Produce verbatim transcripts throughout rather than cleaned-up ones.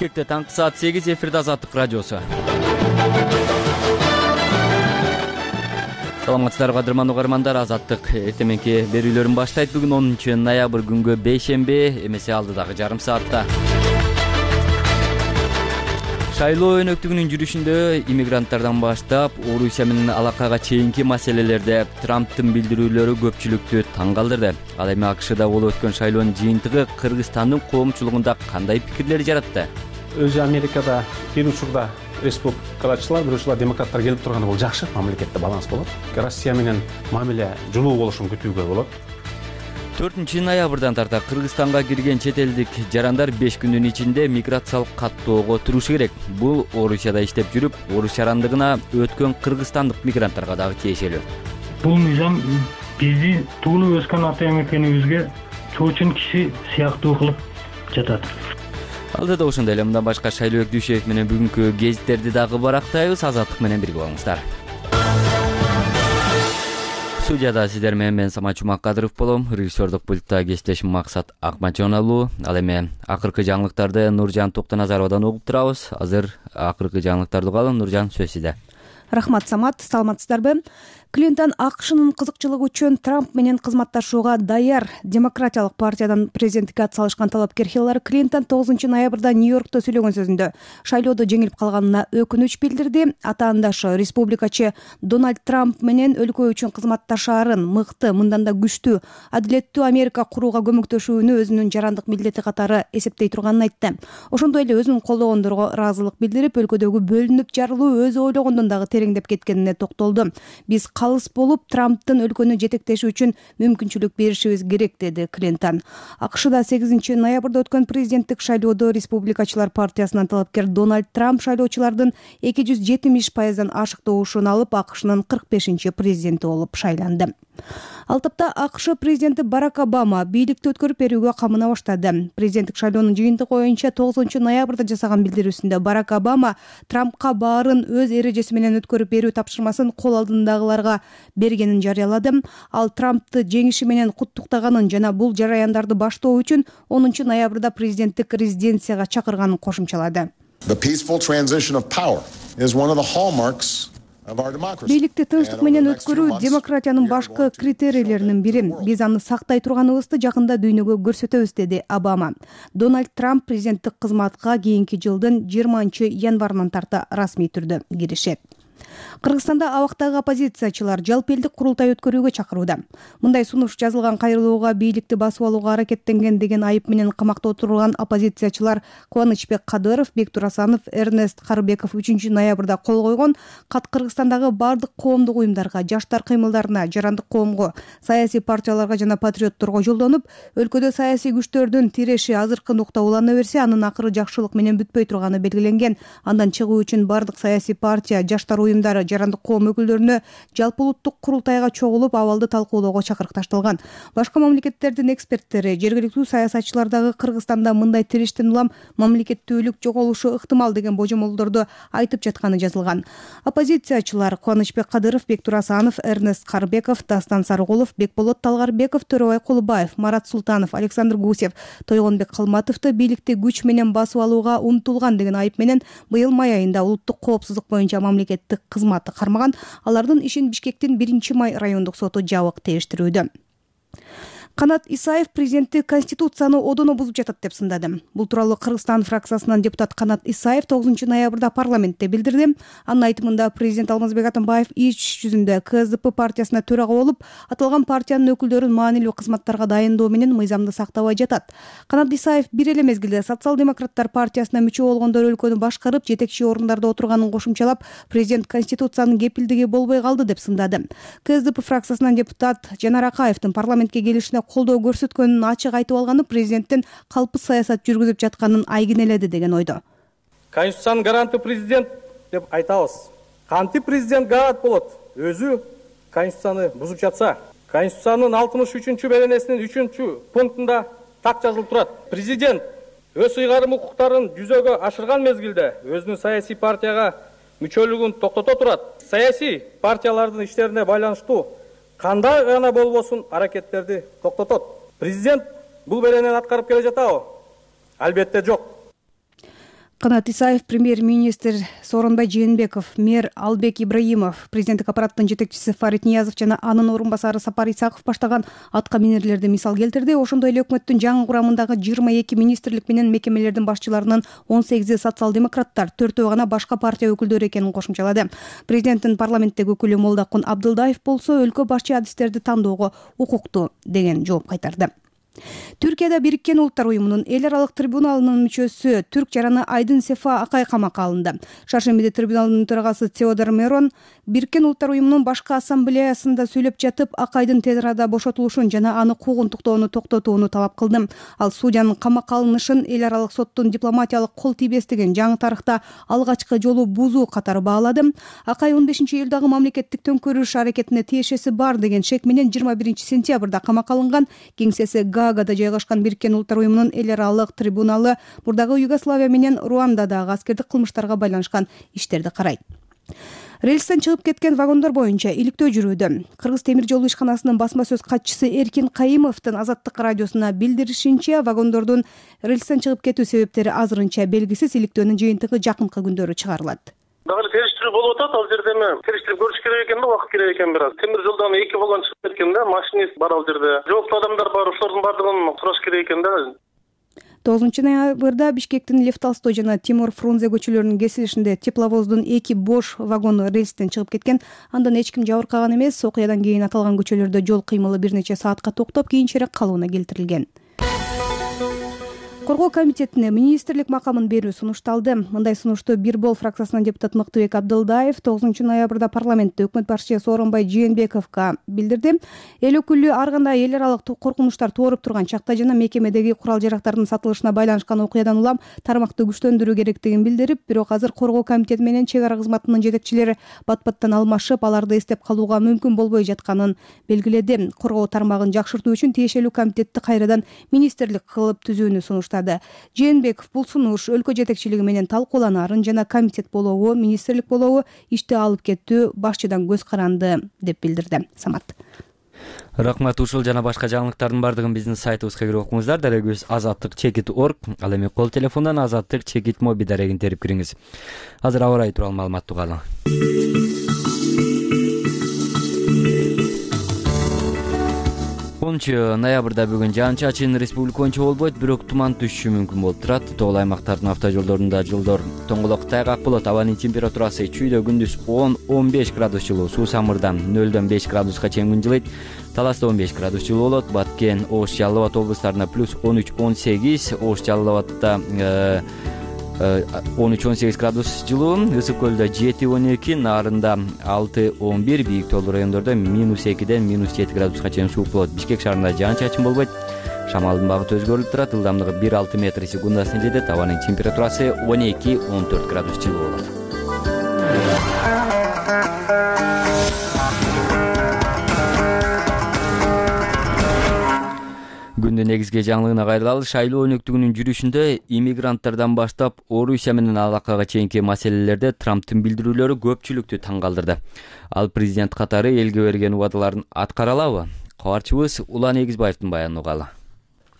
Бишкекте таңкы саат сегиз, эфирде Азаттык радиосу. Саламатсыздарбы кадырман угармандар, Азаттык эртеменки берүүлөрүн баштайт. Бүгүн онунчу ноябрь күнгө бейшемби, эмесе алдыдагы жарым саатта. Шайлоо өнөктүгүнүн жүрүшүндө иммигранттардан баштап Орусия менен алакага чейинки маселелерде Трамптын билдирүүлөрү көпчүлүктү таң калтырды. Ал эми АКШда болуп өткөн шайлоонун жыйынтыгы Кыргызстандын коомчулугунда кандай пикирлер жаратты? Өзү Америкада бир учурда республикачылар, бир учурда демократтар келип турганы бул жакшы, мамлекетте баланс болот. Россия менен мамиле жылуу болушун күтүүгө болот. төртүнчү ноябрдан тарта Кыргызстанга кирген чет элдик жарандар беш күндүн ичинде миграциялык каттоого турушу керек. Бул Орусияда иштеп жүрүп, орус жарандыгына өткөн кыргызстандык мигранттарга дагы тиешелүү. Бул мыйзам бизди туулуп өскөн ата мекенибизге чоочун киши сыяктуу кылып жатат. Алдыда ошондой эле мындан башка Шайлообек Дүйшөев менен бүгүнкү гезиттерди дагы барактайбыз. Азаттык менен бирге болуңуздар. Студияда сиздер менен мен Самат Жумакадыров болом. Режиссердук пультта кесиптешим Максат Акматжонову. Ал эми акыркы жаңылыктарды Нуржан Токтоназаровадан угуп турабыз. Азыр акыркы жаңылыктарды угалы. Нуржан, сөз сизде. Рахмат, Самат. Саламатсыздарбы? Клинтон АКШнын кызыкчылыгы үчүн Трамп менен кызматташууга даяр. Демократиялык партиядан президенттикке ат салышкан талапкер Хиллари Клинтон тогузунчу ноябрда Нью-Йоркто сөйлөгөн сөзүндө шайлоодо жеңилип калганына өкүнүч билдирди. Атаандашы республикачы Дональд Трамп менен өлкө үчүн кызматташаарын мыкты, мындан да күчтүү, адилеттүү Америка курууга көмөктөшүүнү өзүнүн жарандык милдети катары эсептей турганын айтты. Ошондой эле өзүн колдогондорго ыраазылык билдирип, өлкөдөгү бөлүнүп жарылуу өзү ойлогондон дагы тереңдеп кеткенине токтолду. Биз калыс болуп Трамптын өлкөнү жетектеши үчүн мүмкүнчүлүк беришибиз керек, деди Клинтон. АКШда сегизинчи ноябрда өткөн президенттик шайлоодо республикачылар партиясынын талапкер Дональд Трамп шайлоочулардын эки жүз жетимиш пайыздан ашыктоошун алып, АКШнын кырк бешинчи президенти болуп шайланды. Ал тапта АКШ президенти Барак Обама бийликти өткөрүп берүүгө камына баштады. Президенттик шайлоонун жыйынтыгы боюнча тогузунчу ноябрда жасаган билдирүүсүндө Барак Обама Трампка баарын өз эрежеси менен өткөрүп берүү тапшырмасын кол алдындагыларга бергенин жарыялады. Ал Трампты жеңиши менен куттуктаганын жана бул жараяндарды баштоо үчүн онунчу ноябрда президенттик резиденцияга чакырганын кошумчалады. Бийликти тынчтык менен өткөрүү демократиянын башкы критерийлеринин бири. Биз аны сактай турганыбызды жакында дүйнөгө көрсөтөбүз, деди Обама. Дональд Трамп президенттик кызматка кийинки жылдын жыйырманчы январынан тарта расмий түрдө киришет. Кыргызстанда абактагы оппозициячылар жалпы элдик курултай өткөрүүгө чакырууда. Мындай сунуш жазылган кайрылууга бийликти басып алууга аракеттенген деген айып менен камакта отурган оппозициячылар Кубанычбек Кадыров, Бектур Асанов, Эрнест Карыбеков үчүнчү ноябрда кол койгон кат Кыргызстандагы бардык коомдук уюмдарга, жаштар кыймылдарына, жарандык коомго, саясий партияларга жана патриотторго жолдонуп, өлкөдө саясий күчтөрдүн тиреши азыркы нукта улана берсе, анын акыры жакшылык менен бүтпөй турганы белгиленген. Андан чыгуу үчүн бардык саясий партия, жаштар уюмдары, жарандык коом өкүлдөрүнө жалпы улуттук курултайга чогулуп абалды талкуулоого чакырык ташталган. Башка мамлекеттердин эксперттери жергиликтүү саясатчылар дагы Кыргызстанда мындай тирештен улам мамлекеттүүлүк жоголушу ыктымал деген божомолдорду айтып жатканы жазылган. Оппозициячылар Кубанычбек Кадыров, Бектур Асанов, Эрнест Карыбеков, Дастан Сарыгулов, Бекболот Талгарбеков, Төрөбай Кулубаев, Марат Султанов, Александр Гусев, Тойгонбек Калматовду бийликти күч менен басып алууга умтулган деген айып менен быйыл май айында улуттук коопсуздук боюнча мамлекеттик кызматты кармаган. Алардын ишин Бишкектин биринчи май райондук соту жабык териштирүүдө. Канат Исаев президенти Конституцияны одоно бузуп жатат деп сындады. Бул тууралуу Кыргызстан фракциясынан депутат Канат Исаев тогузунчу ноябрда парламентте билдирди. Анын айтымында президент Алмазбек Атамбаев иш жүзүндө КСДП партиясына төрага болуп, аталган партиянын өкүлдөрүн маанилүү кызматтарга дайындоо менен мыйзамды сактабай жатат. Канат Исаев бир эле мезгилде социал-демократтар партиясына мүчө болгондор өлкөнү башкарып, жетекчи орундарда отурганын кошумчалап, президент Конституциянын кепилдиги болбой калды деп сындады. КСДП фракциясынан депутат Жанар Акаевдин парламентке келишине колдоо көрсөткөнүн ачык айтып алганы президенттин калпсыз саясат жүргүзүп жатканын айгинеледи деген ойдо. Конституциянын гаранты президент деп айтабыз. Кантип президент гарант болот? Өзү Конституцияны бузуп жатса. Конституциянын алтымыш үчүнчү беренесинин үчүнчү пунктунда так жазылып турат. Президент өз ыйгарым укуктарын жүзөгө ашырган мезгилде өзүнүн саясий партияга мүчөлүгүн токтото турат. Саясий партиялардын иштерине байланыштуу кандай гана болбосун аракеттерди токтотот. Президент бул беренени аткарып келе жатабы? Албетте жок. Канат Исаев, премьер-министр Сооронбай Жээнбеков, мэр Албек Ибраимов, президенттик аппараттын жетекчиси Фарид Ниязов жана анын орун басары Сапар Исаков баштаган атка минерлерди мисал келтирди. Ошондой эле өкмөттүн жаңы курамындагы жыйырма эки министрлик менен мекемелердин башчыларынын он сегизи социал-демократтар, төртөө гана башка партия өкүлдөрү экенин кошумчалады. Президенттин парламенттеги өкүлү Молдокун Абдылдаев болсо өлкө башчы адистерди тандоого укуктуу деген жооп кайтарды. Түркияда Бириккен Улуттар уюмунун эл аралык трибуналынын мүчөсү түрк жараны Айдын Сефа Акай камакка алынды. Шаршембиде трибуналдын төрагасы Теодор Мерон Бириккен Улуттар уюмунун башкы ассамблеясында сүйлөп жатып, Акайдын тез арада бошотулушун жана аны куугунтуктоону токтотууну талап кылды. Ал судьянын камакка алынышын эл аралык соттун дипломатиялык кол тийбестигин жаңы тарыхта алгачкы жолу бузуу катары баалады. Акай он бешинчи июлдагы мамлекеттик төңкөрүш аракетине тиешеси бар деген шек менен жыйырма биринчи сентябрда камакка алынган. Кеңсеси Гаагада жайгашкан Бириккен Улуттар уюмунун эл аралык трибуналы мурдагы Югославия менен Руандадагы аскердик кылмыштарга байланышкан иштерди карайт. Рельстен чыгып кеткен вагондор боюнча иликтөө жүрүүдө. Кыргыз темир жол ишканасынын басма сөз катчысы Эркин Кайымовдун Азаттык радиосуна билдиришинче, вагондордун рельстен чыгып кетүү себептери азырынча белгисиз. Иликтөөнүн жыйынтыгы жакынкы күндөрү чыгарылат. Дагы териштирүү болуп атат. Ал жерде эми териштирип көрүш керек экен да, убакыт керек экен бираз. Темир жолдон эки вагон чыгып кеткен да, машинист бар ал жерде. Жооптуу адамдар бар, ошолордун баардыгын сураш керек экен да. тогузунчу ноябрда Бишкектин Лев Толстой жана Тимур Фрунзе көчөлөрүнүн кесилишинде тепловоздун эки бош вагону рельстен чыгып кеткен. Андан эч ким жабыркаган эмес. Окуядан кийин аталган көчөлөрдө жол кыймылы бир нече саатка токтоп, кийинчерээк калыбына келтирилген. Коргоо комитетине министрлик макамын берүү сунушталды. Мындай сунушту Бир бол фракциясынан депутат Мыктыбек Абдылдаев тогузунчу ноябрда парламентте өкмөт башчы Сооронбай Жээнбековго билдирди. Эл өкүлү ар кандай эл аралык коркунучтар тууруп турган чакта жана мекемедеги курал-жарактардын сатылышына байланышкан окуядан улам тармакты күчтөндүрүү керектигин билдирип, бирок азыр коргоо комитети менен чек ара кызматынын жетекчилери бат-баттан алмашып, аларды эстеп калууга мүмкүн болбой жатканын белгиледи. Коргоо тармагын жакшыртуу үчүн тиешелүү комитетти кайрадан министрлик кылып түзүүнү сунуштады. Жээнбеков бул сунуш өлкө жетекчилиги менен талкууланарын жана комитет болобу, министрлик болобу ишти алып кетүү башчыдан көз каранды деп билдирди. Самат. Рахмат. Ушул жана башка жаңылыктардын бардыгын биздин сайтыбызга кирип окуңуздар. Дарегибиз азаттык чекит точка орг. Ал эми кол телефондон азаттык чекит моби дарегин терип кириңиз. Азыр аба ырайы тууралуу маалыматты угалы. онунчу ноябрда бүгүн жаан-чачын республика боюнча болбойт, бирок туман түшүшү мүмкүн болуп турат. Тоголуу аймактардын автожолдорунда жолдор тоңголок тайгак болот. Абанын температурасы чүйдө күндүз он — он беш градус жылуу, суу самырда нөлдөн беш градуска чейин күн жылыйт. Таласта он беш градус жылуу болот. Баткен, Ош, Жалал Абад облустарында плюс он үч — он сегиз, Ош, Жалал Абадта он үч — он сегиз градус жылуу, Ысык көлдө жети — он эки, Нарында алты — он бир, бийик тоолуу райондордо минус экиден минус жети градуска чейин суук болот. Бишкек шаарында жаан-чачын болбойт. Шамалдын багыты өзгөрүлүп турат. Ылдамдыгы бир — алты метр секундасына жетет. Абанын температурасы он эки — он төрт градус жылуу болот. Күндүн негизги жаңылыгына кайрылалы. Шайлоо өнөктүгүнүн жүрүшүндө иммигранттардан баштап Орусия менен алакага чейинки маселелерде Трамптын билдирүүлөрү көпчүлүктү таң калтырды. Ал президент катары элге берген убадаларын аткара алабы? Кабарчыбыз Улан Эгизбаевдин баянын угалы.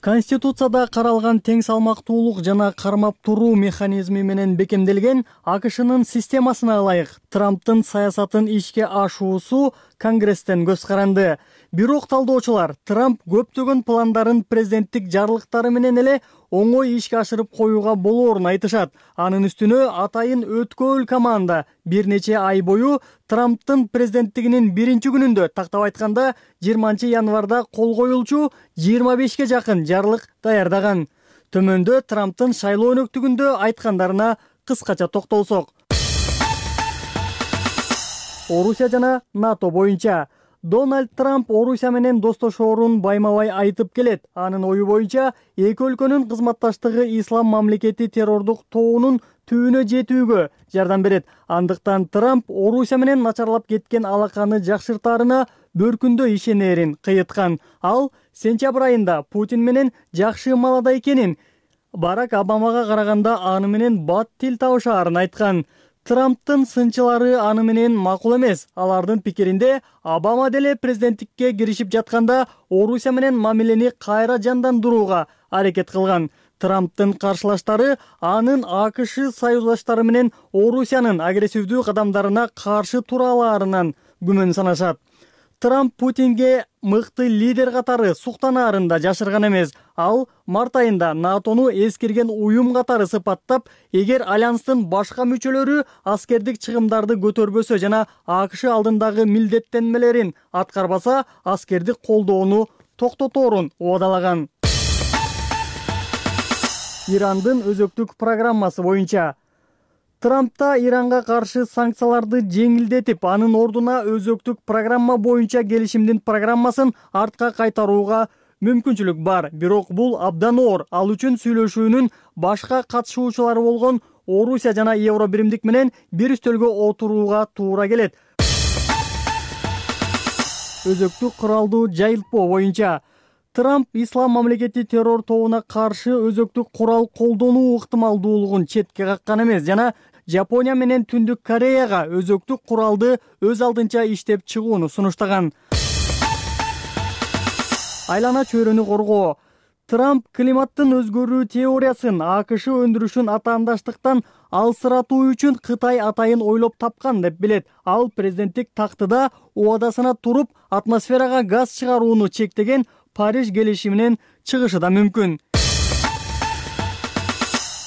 Конституцияда каралган тең салмактуулук жана кармап туруу механизми менен бекемделген АКШнын системасына ылайык Трамптын саясатын ишке ашуусу Конгресстен көз каранды. Бирок талдоочулар Трамп көптөгөн пландарын президенттик жарлыктары менен эле оңой ишке ашырып коюуга болоорун айтышат. Анын үстүнө атайын өткөөл команда бир нече ай бою Трамптын президенттигинин биринчи күнүндө, тактап айтканда жыйырманчы январда кол коюлчу жыйырма бешке жакын жарлык даярдаган. Төмөндө Трамптын шайлоо өнөктүгүндө айткандарына кыскача токтолсок. Орусия жана НАТО боюнча Дональд Трамп Орусия менен достошоорун байма-бай айтып келет. Анын ою боюнча эки өлкөнүн кызматташтыгы ислам мамлекети террордук тоонун түбүнө жетүүгө жардам берет. Андыктан Трамп Орусия менен начарлап кеткен алаканы жакшыртаарына бөркүндө ишенерин кыйыткан. Ал сентябрь айында Путин менен жакшы маалада экенин, Барак Обамага караганда аны менен бат тил табышаарын айткан. Трамптын сынчылары аны менен макул эмес. Алардын пикиринде Обама деле президенттикке киришип жатканда Орусия менен мамилени кайра жандандырууга аракет кылган. Трамптын каршылаштары анын АКШ союздаштары менен Орусиянын агрессивдүү кадамдарына каршы тура алаарынан күмөн санашат. Трамп Путинге мыкты лидер катары суктанарын да жашырган эмес. Ал март айында НАТОну эскерген уюм катары сыпаттап, эгер альянстын башка мүчөлөрү аскердик чыгымдарды көтөрбөсө жана АКШ алдындагы милдеттенмелерин аткарбаса, аскердик колдоону токтоторун убадалаган. Ирандын өзөктүк программасы боюнча Трампта Иранга каршы санкцияларды жеңилдетип, анын ордуна өзөктүк программа боюнча келишимдин программасын артка кайтарууга мүмкүнчүлүк бар. Бирок бул абдан оор. Ал үчүн сүйлөшүүнүн башка катышуучулары болгон Орусия жана Евробиримдик менен бир үстөлгө отурууга туура келет. Өзөктүк куралдуу жайылтпоо боюнча Трамп ислам мамлекети террор тобуна каршы өзөктүк курал колдонуу ыктымалдуулугун четке каккан эмес жана Жапония менен Түндүк Кореяга өзөктүк куралды өз алдынча иштеп чыгууну сунуштаган. Айлана чөйрөнү коргоо. Трамп климаттын өзгөрүү теориясын АКШ өндүрүшүн атаандаштыктан алсыратуу үчүн Кытай атайын ойлоп тапкан деп билет. Ал президенттик тактыда убадасына туруп, атмосферага газ чыгарууну чектеген Париж келишиминен чыгышы да мүмкүн.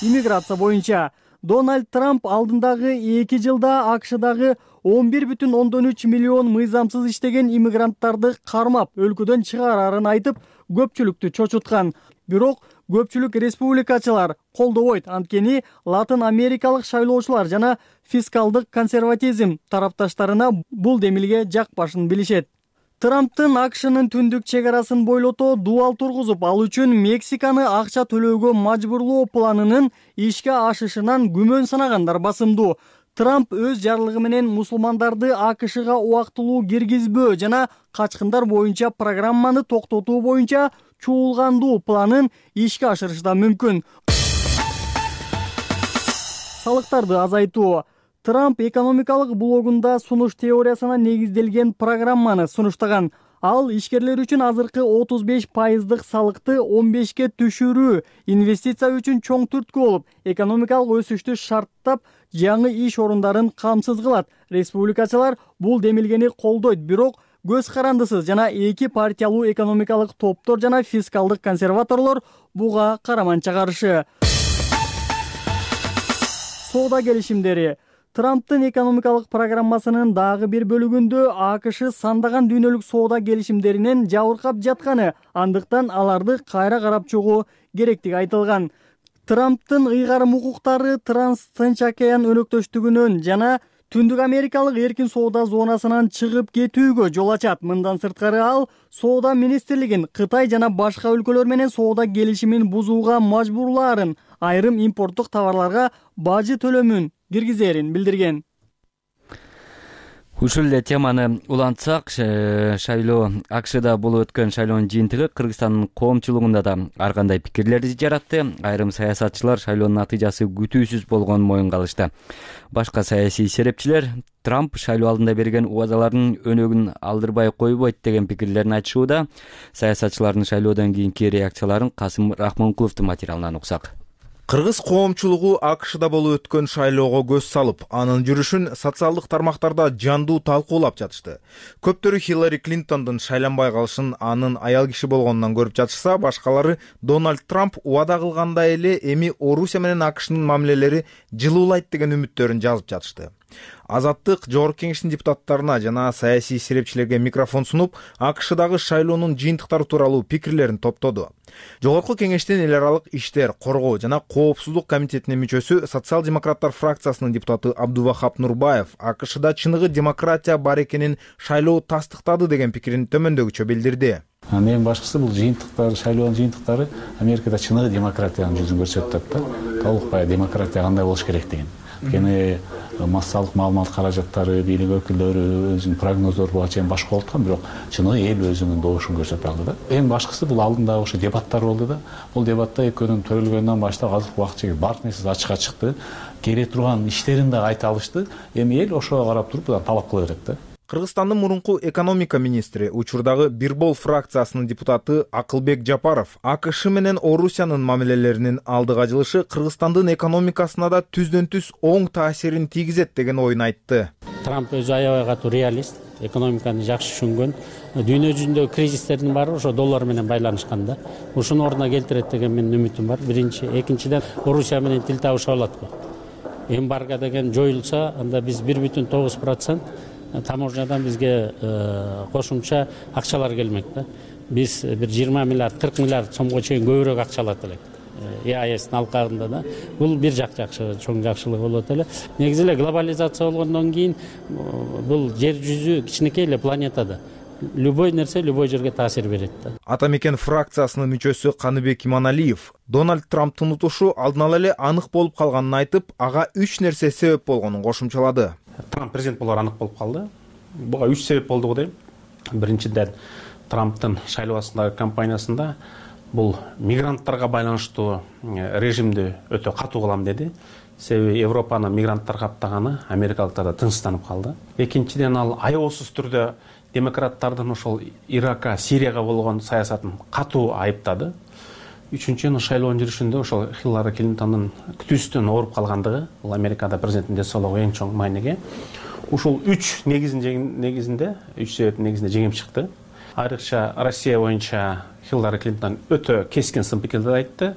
Иммиграция боюнча Дональд Трамп алдындагы эки жылда АКШдагы он бир бүтүн ондон үч миллион мыйзамсыз иштеген иммигранттарды кармап, өлкөдөн чыгарарын айтып, көпчүлүктү чочуткан. Бирок көпчүлүк республикачылар колдобойт, анткени Латын Америкалык шайлоочулар жана фискалдык консерватизм тарапташтарына бул демилге жакпашын билишет. Трамптын АКШнын түндүк чек арасын бойлото дуал тургузуп, ал үчүн Мексиканы акча төлөөгө мажбурлоо планынын ишке ашышынан күмөн санагандар басымдуу. Трамп өз жарлыгы менен мусулмандарды АКШга убактылуу киргизбөө жана качкындар боюнча программаны токтотуу боюнча чуулгандуу планын ишке ашырышы да мүмкүн. Салыктарды азайтуу. Трамп экономикалык блогунда сунуш теориясына негизделген программаны сунуштаган. Ал ишкерлер үчүн азыркы отуз беш пайыздык салыкты он бешке түшүрүү инвестиция үчүн чоң түрткү болуп, экономикалык өсүштү шарттап, жаңы иш орундарын камсыз кылат. Республикачылар бул демилгени колдойт, бирок көз карандысыз жана эки партиялуу экономикалык топтор жана фискалдык консерваторлор буга караманча каршы. Соода келишимдери. Трамптын экономикалык программасынын дагы бир бөлүгүндө АКШ сандаган дүйнөлүк соода келишимдеринен жабыркап жатканы, андыктан аларды кайра карап чыгуу керектиги айтылган. Трамптын ыйгарым укуктары Транс-Тынч океан өнөктөштүгүнөн жана Түндүк Америкалык эркин соода зонасынан чыгып кетүүгө жол ачат. Мындан сырткары ал соода министрлигин Кытай жана башка өлкөлөр менен соода келишимин бузууга мажбурлаарын, айрым импорттук товарларга бажы төлөмүн киргизерин билдирген. Ушул эле теманы улантсак, шайлоо АКШда болуп өткөн шайлоонун жыйынтыгы Кыргызстандын коомчулугунда да ар кандай пикирлерди жаратты. Айрым саясатчылар шайлоонун натыйжасы күтүүсүз болгонун моюнга алышты. Башка саясий серепчилер Трамп шайлоо алдында берген убадалардын өнөгүн алдырбай койбойт деген пикирлерин айтышууда. Саясатчылардын шайлоодон кийинки реакцияларын Касым Рахмонкуловдун материалынан уксак. Кыргыз коомчулугу АКШда болуп өткөн шайлоого көз салып, анын жүрүшүн социалдык тармактарда жандуу талкуулап жатышты. Көптөрү Хиллари Клинтондун шайланбай калышын анын аял киши болгонунан көрүп жатышса, башкалары Дональд Трамп убада кылгандай эле эми Орусия менен АКШнын мамилелери жылуулайт деген үмүттөрүн жазып жатышты. Азаттык жогорку кеңештин депутаттарына жана саясий серепчилерге микрофон сунуп, АКШдагы шайлоонун жыйынтыктары тууралуу пикирлерин топтоду. Жогорку кеңештин эл аралык иштер, коргоо жана коопсуздук комитетинин мүчөсү, социал-демократтар фракциясынын депутаты Абдувахап Нурбаев АКШда чыныгы демократия бар экенин шайлоо тастыктады деген пикирин төмөндөгүчө билдирди. Эң башкысы бул жыйынтыктар, шайлоонун жыйынтыктары Америкада чыныгы демократиянын жүзүн көрсөтүп атат да. Толук демократия кандай болуш керек деген. Кene массалык маалымат каражаттары, бийлик өкүлдөрү өзүнүн прогноздору буга чейин башка болуп аткан, бирок чыныгы эл өзүнүн добушун көрсөтүп алды да. Эң башкысы бул алдында ошо дебаттар болду да. Бул дебатта экөөнүн төрөлгөндөн баштап азыркы убакытча бардык нерсеси ачыкка чыкты. Келе турган иштерин да айта алышты. Эми эл ошого карап туруп талап кыла берет да. Кыргызстандын мурунку экономика министри, учурдагы Бирбол фракциясынын депутаты Акылбек Жапаров АКШ менен Орусиянын мамилелеринин алдыга жылышы Кыргызстандын экономикасына да түздөн түз оң таасирин тийгизет деген ойун айтты. Трамп өзү аябай катуу реалист, экономиканы жакшы түшүнгөн. Дүйнө жүзүндөгү кризистердин баары ошо доллар менен байланышкан да. Ушуну ордуна келтирет деген менин үмүтүм бар. Биринчи, экинчиден Орусия менен тил табыша алат го. Эмбарго деген жоюлса, анда биз бир бүтүн тогуз процент таможнядан бизге кошумча акчалар келмек да. Биз бир жыйырма миллиард, кырк миллиард сомго чейин көбүрөөк акча алат элек. и а эстин алкагында да. Бул бир жак жакшы, чоң жакшылык болот эле. Негизи эле глобализация болгондон кийин бул жер жүзү кичинекей эле планета да. Любой нерсе любой жерге таасир берет да. Ата мекен фракциясынын мүчөсү Каныбек Иманалиев Дональд Трамптын утушу алдын ала эле анык болуп калганын айтып, ага үч нерсе себеп болгонун кошумчалады. Трамп президент болор анык болуп калды. Буга үч себеп болду го дейм. Биринчиден, Трамптын шайлоо астындагы кампаниясында бул мигранттарга байланыштуу режимди өтө катуу кылам деди. Себеби Европаны мигранттар каптаганы америкалыктар да тынчсызданып калды. Экинчиден, ал аеосуз түрдө демократтардын ошол Иракка, Сирияга болгон саясатын катуу айыптады. Үчүнчүдөн, шайлоонун жүрүшүндө ошол Хиллари Клинтондун күтүүсүнөн ооруп калгандыгы, бул Америкада президенттин денсаулыгы эң чоң мааниге. Ушул үч негизинде, үч себептин негизинде жеңип чыкты. Айрыкча Россия боюнча Хиллари Клинтон өтө кескин сын пикирди айтты.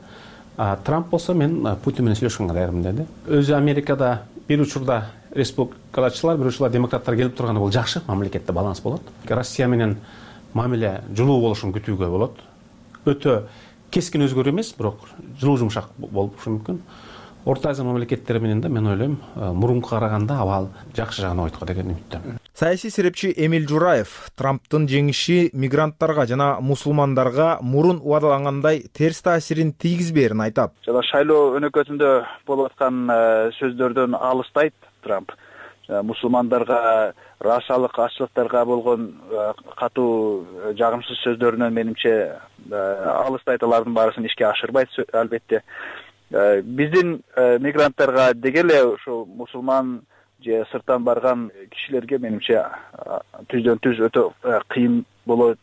Трамп болсо мен Путин менен сүйлөшкөнгө даярмын деди. Өзү Америкада бир учурда республикачылар, бир учурда демократтар келип турганы бул жакшы, мамлекетте баланс болот. Россия менен мамиле жылуу болушун күтүүгө болот. Өтө кескин өзгөрүү эмес, бирок жылуу жумшак болушу мүмкүн. Орто Азия мамлекеттери менен да мен ойлойм, мурунку караганда абал жакшы жагына ойткон деген үмүттөмүн. Саясий серепчи Эмиль Жураев Трамптын жеңиши мигранттарга жана мусулмандарга мурун убадалангандай терс таасирин тийгизбээрин айтат. Жана шайлоо өнөкөтүндө болуп аткан сөздөрдөн алыстайт Трамп. Мусулмандарга, расалык ачылыктарга болгон катуу жагымсыз сөздөрүнөн менимче алыстайт, алардын баарысын ишке ашырбайт албетте. Биздин мигранттарга деги эле ушу мусулман же сырттан барган кишилерге менимче түздөн түз өтө кыйын болот,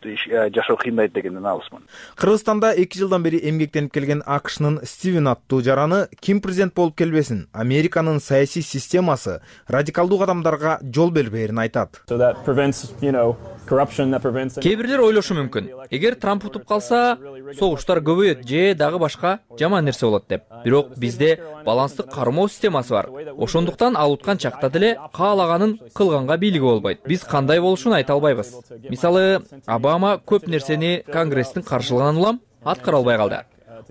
жашоо кыйындайт дегенден алысмын. Кыргызстанда эки жылдан бери эмгектенип келген АКШнын Стивен аттуу жараны ким президент болуп келбесин, Американын саясий системасы радикалдуу кадамдарга жол бербээрин айтат. Кээ бирлер ойлошу мүмкүн, эгер Трамп утуп калса, согуштар көбөйөт же дагы башка жаман нерсе болот деп. Бирок бизде баланстык кармоо системасы бар. Ошондуктан ал уткан чакта деле каалаганын кылганга бийлиги болбойт. Биз кандай болушун айта албайбыз. Мисалы, Обама көп нерсени Конгресстин каршылыгынан улам аткара албай калды.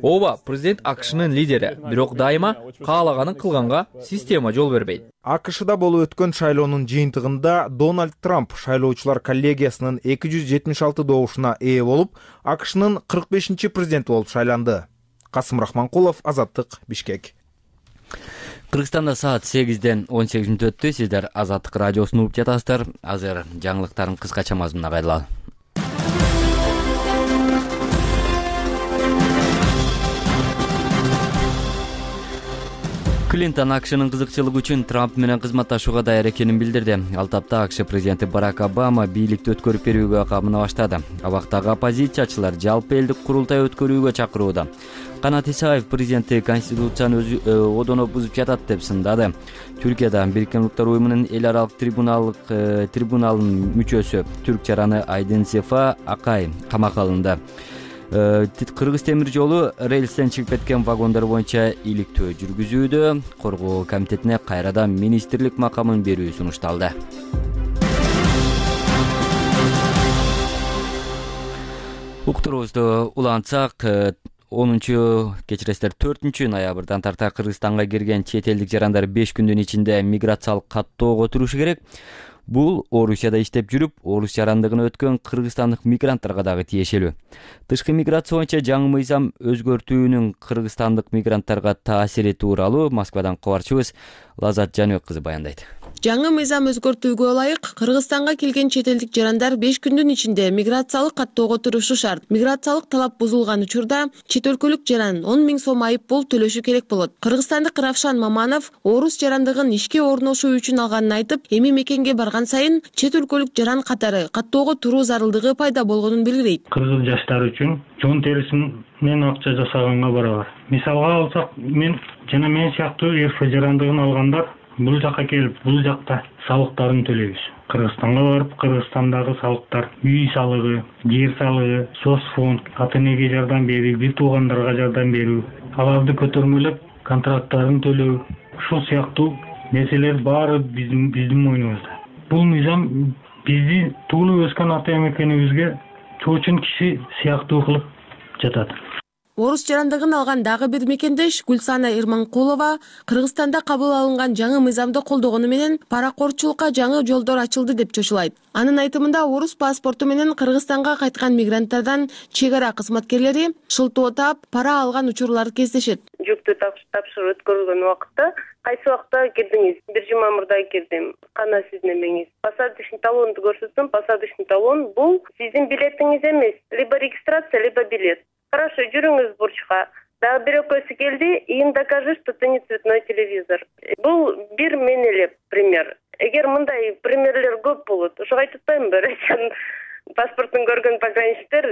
Ооба, президент АКШнын лидери, бирок дайыма каалаганын кылганга система жол бербейт. АКШда болуп өткөн шайлоонун жыйынтыгында Дональд Трамп шайлоочулар коллегиясынын эки жүз жетимиш алты добушуна ээ болуп, АКШнын кырк бешинчи президенти болуп шайланды. Касым Рахманкулов, Азаттык, Бишкек. Кыргызстанда саат сегизден он сегиз мүнөт өттү. Сиздер Азаттык радиосун угуп жатасыздар. Азыр жаңылыктардын кыскача мазмунуна кайрылалы. Клинтон АКШнын кызыкчылыгы үчүн Трамп менен кызматташууга даяр экенин билдирди. Ал тапта АКШ президенти Барак Обама бийликти өткөрүп берүүгө камына баштады. Абактагы оппозициячылар жалпы элдик курултай өткөрүүгө чакырууда. Канат Исаев президенти конституцияны одоно бузуп жатат деп сындады. Түркияда Бириккен Улуттар уюмунун эл аралык трибуналдык трибуналынын мүчөсү түрк жараны Айдын Сефа Акай камакка алынды. Кыргыз темир жолу рельстен чыгып кеткен вагондар боюнча иликтөө жүргүзүүдө. Коргоо комитетине кайрадан министрлик макамын берүү сунушталды. Уктурубузду улантсак, онунчу кечиресиздер төртүнчү ноябрдан тарта Кыргызстанга кирген чет элдик жарандар беш күндүн ичинде миграциялык каттоого өтүрүшү керек. Бул Орусияда иштеп жүрүп, орус жарандыгын өткөн кыргызстандык мигранттарга дагы тиешелүү. Тышкы миграция боюнча жаңы мыйзам өзгөртүүнүн кыргызстандык мигранттарга таасири тууралуу Москвадан кабарчыбыз Лазат Жаныбек кызы баяндайт. Жаңы мыйзам өзгөртүүгө ылайык Кыргызстанга келген чет элдик жарандар беш күндүн ичинде миграциялык каттоого турушу шарт. Миграциялык талап бузулган учурда чет өлкөлүк жаран он миң сом айып пул төлөшү керек болот. Кыргызстандык Равшан Маманов орус жарандыгын ишке орношуу үчүн алганын айтып, эми мекенге барган сайын чет өлкөлүк жаран катары каттоого туруу зарылдыгы пайда болгонун билдирет. Кыргыз жаштар үчүн жон терисинен акча жасаганга барабар. Мисалга алсак, мен жана мен сыяктуу эр эф жарандыгын алгандар бул жакка келип, бул жакта салыктарын төлөйбүз. Кыргызстанга барып, Кыргызстандагы салыктар, үй салыгы, жер салыгы, соцфонд, ата энеге жардам берүү, бир туугандарга жардам берүү, аларды көтөрмөлөп контракттарын төлөө, ушул сыяктуу нерселер баары биздин биздин мойнубузда. Бул мыйзам бизди туулуп өскөн ата мекенибизге чоочун киши сыяктуу кылып жатат. Орус жарандыгын алган дагы бир мекендеш Гүлсана Ирманкулова Кыргызстанда кабыл алынган жаңы мыйзамды колдогону менен паракорчулукка жаңы жолдор ачылды деп чочулайт. Анын айтымында орус паспорту менен Кыргызстанга кайткан мигранттардан чек ара кызматкерлери шылтоо таап, пара алган учурлар кездешет. Жүктү тапшырып өткөрүлгөн убакытта кайсы убакта кирдиңиз? Бир жума мурда кирдим. Кана сиздин эмеңиз? Посадочный талонду көрсөттүм. Посадочный талон бул сиздин билетиңиз эмес. Либо регистрация, либо билет. Хорошо, жүрүңүз бурчка. Дагы бир экөөсү келди, им докажи, что ты не цветной телевизор. Бул бир мен эле пример. Эгер мындай примерлер көп болот, ошого айтып атпаймынбы? Россиянын паспортун көргөн пограничниктер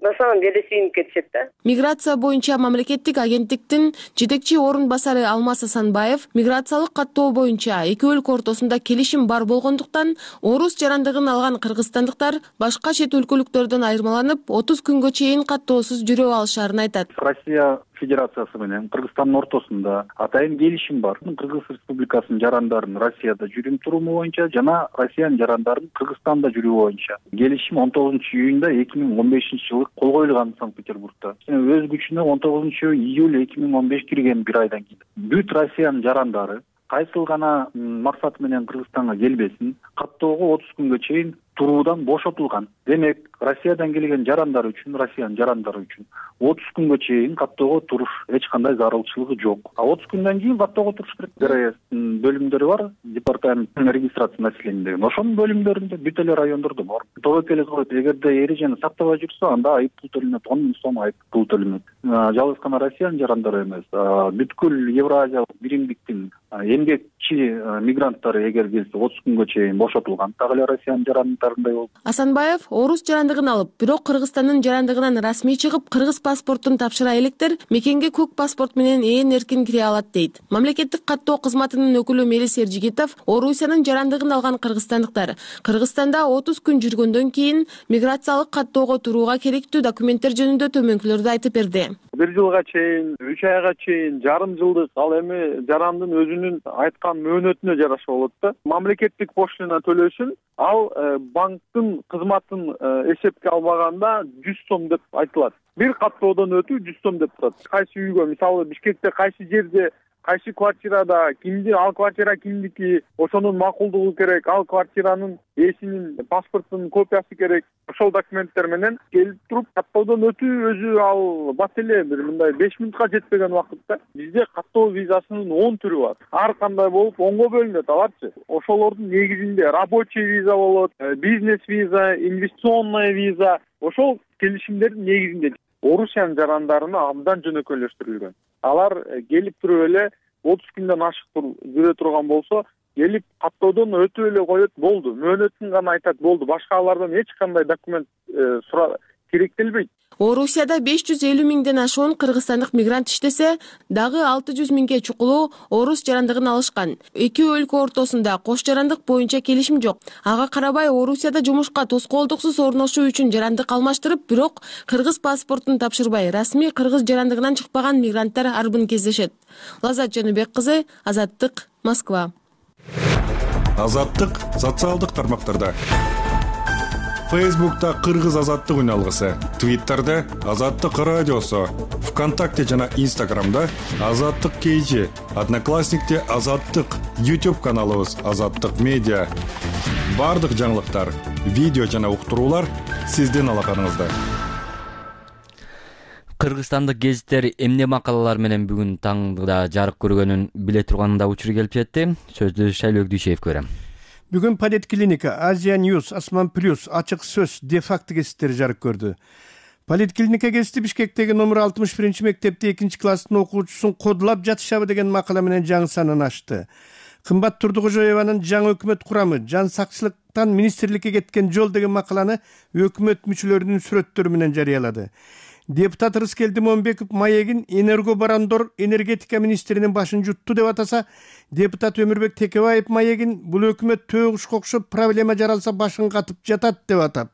на самом деле сүйүнүп кетишет да. Миграция боюнча мамлекеттик агенттиктин жетекчи орун басары Алмаз Асанбаев миграциялык каттоо боюнча эки өлкө ортосунда келишим бар болгондуктан орус жарандыгын алган кыргызстандыктар башка чет өлкөлүктөрдөн айырмаланып отуз күнгө чейин каттоосуз жүрө алышарын айтат. Россия Федерациясы менен Кыргызстандын ортосунда атайын келишим бар. Кыргыз Республикасынын жарандарын Россияда жүрүм туруму боюнча жана Россиянын жарандарын Кыргызстанда жүрүү боюнча келишим он тогузунчу июнда эки миң он бешинчи жылы кол коюлган Санкт-Петербургда. Өз күчүнө он тогузунчу июль эки миң он беш кирген бир айдан кийин бүт Россиянын жарандары кайсыл гана максат менен Кыргызстанга келбесин каттоого отуз күнгө чейин туруудан бошотулган. Демек, Россиядан келген жарандар үчүн, Россиянын жарандары үчүн отуз күнгө чейин каттоого туруш эч кандай зарылчылыгы жок. А отуз күндөн кийин каттоого туруш керек. ДРСтин бөлүмдөрү бар, департамент регистрация населения деген. Ошонун бөлүмдөрүндө бүт эле райондордо бар. Тобокел коет, эгерде эрежени сактабай жүрсө, анда айып пул төлөнөт, он миң сом айып пул төлөнөт. Жалгыз гана Россиянын жарандары эмес, бүткүл Евразиялык биримдиктин эмгекчи мигранттары эгер келсе отуз күнгө чейин бошотулган. Так эле Россиянын жарандарындай болуп. Асанбаев орус жарандыгын алып, бирок Кыргызстандын жарандыгынан расмий чыгып, кыргыз паспортун тапшыра электер мекенге көк паспорт менен ээн эркин кире алат дейт. Мамлекеттик каттоо кызматынын өкүлү Мелис Эржигитов Орусиянын жарандыгын алган кыргызстандыктар Кыргызстанда отуз күн жүргөндөн кийин миграциялык каттоого турууга керектүү документтер жөнүндө төмөнкүлөрдү айтып берди. Бир жылга чейин, үч айга чейин, жарым жылдык ал эми жарандын өзүнүн айткан мөөнөтүнө жараша болот да. Мамлекеттик пошлина төлөсүн, ал банктын кызматын эсепке албаганда жүз сом деп айтылат. Бир каттоодон өтүү жүз сом деп турат. Кайсы үйгө, мисалы Бишкекте кайсы жерде, кайсы квартирада кимди, ал квартира кимдики, ошонун макулдугу керек, ал квартиранын ээсинин паспортунун копиясы керек. Ошол документтер менен келип туруп каттоодон өтүү өзү ал бат эле бир мындай беш мүнөткө жетпеген убакытта. Бизде каттоо визасынын он түрү бар. Ар кандай болуп онго бөлүнөт аларчы. Ошолордун негизинде рабочий виза болот, бизнес виза, инвестиционная виза. Ошол келишимдердин негизинде Орусиянын жарандарына абдан жөнөкөйлөштүрүлгөн. Алар келип туруп эле отуз күндөн ашык жүрө турган болсо, келип каттоодон өтүп эле коет, болду. Мөөнөтүн гана айтат, болду. Башка алардан эч кандай документ керектелбейт. Орусияда беш жүз элүү миңден ашуун кыргызстандык мигрант иштесе, дагы алты жүз миңге чукулуу орус жарандыгын алышкан. Эки өлкө ортосунда кош жарандык боюнча келишим жок. Ага карабай Орусияда жумушка тоскоолдуксуз орношуу үчүн жарандык алмаштырып, бирок кыргыз паспортун тапшырбай, расмий кыргыз жарандыгынан чыкпаган мигранттар арбын кездешет. Лазат Жаныбек кызы, Азаттык, Москва. Азаттык социалдык тармактарда. Фейсбукта Кыргыз азаттык үн алгысы, Твиттерде Азаттык радиосу, ВКонтакте жана Инстаграмда Азаттык кейжи, Одноклассникте Азаттык, YouTube каналыбыз Азаттык медиа. Бардык жаңылыктар, видео жана уктуруулар сиздин алаканыңызда. Кыргызстандык гезиттер эмне макалалар менен бүгүн таңда жарык көргөнүн биле турганда учуру келип жетти. Сөздү Шайлоо Дүйшеевге берем. Бүгүн Политклиника, Азия Ньюс, Асман Плюс, Ачык сөз, де-факто гезиттери жарык көрдү. Политклиника гезити Бишкектеги номер алтымыш биринчи мектепте экинчи класстын окуучусун кодулап жатышабы деген макала менен жаңы санын ачты. Кымбат Турдукожоеванын жаңы өкмөт курамы, жан сакчылыктан министрликке кеткен жол деген макаланы өкмөт мүчөлөрүнүн сүрөттөрү менен жарыялады. Депутат Рыскелди Момбеков маегин энергобарондор энергетика министринин башын жутту деп атаса, депутат Өмүрбек Текебаев маегин бул өкмөт төөгүшкө окшоп проблема жаралса башын катып жатат деп атап.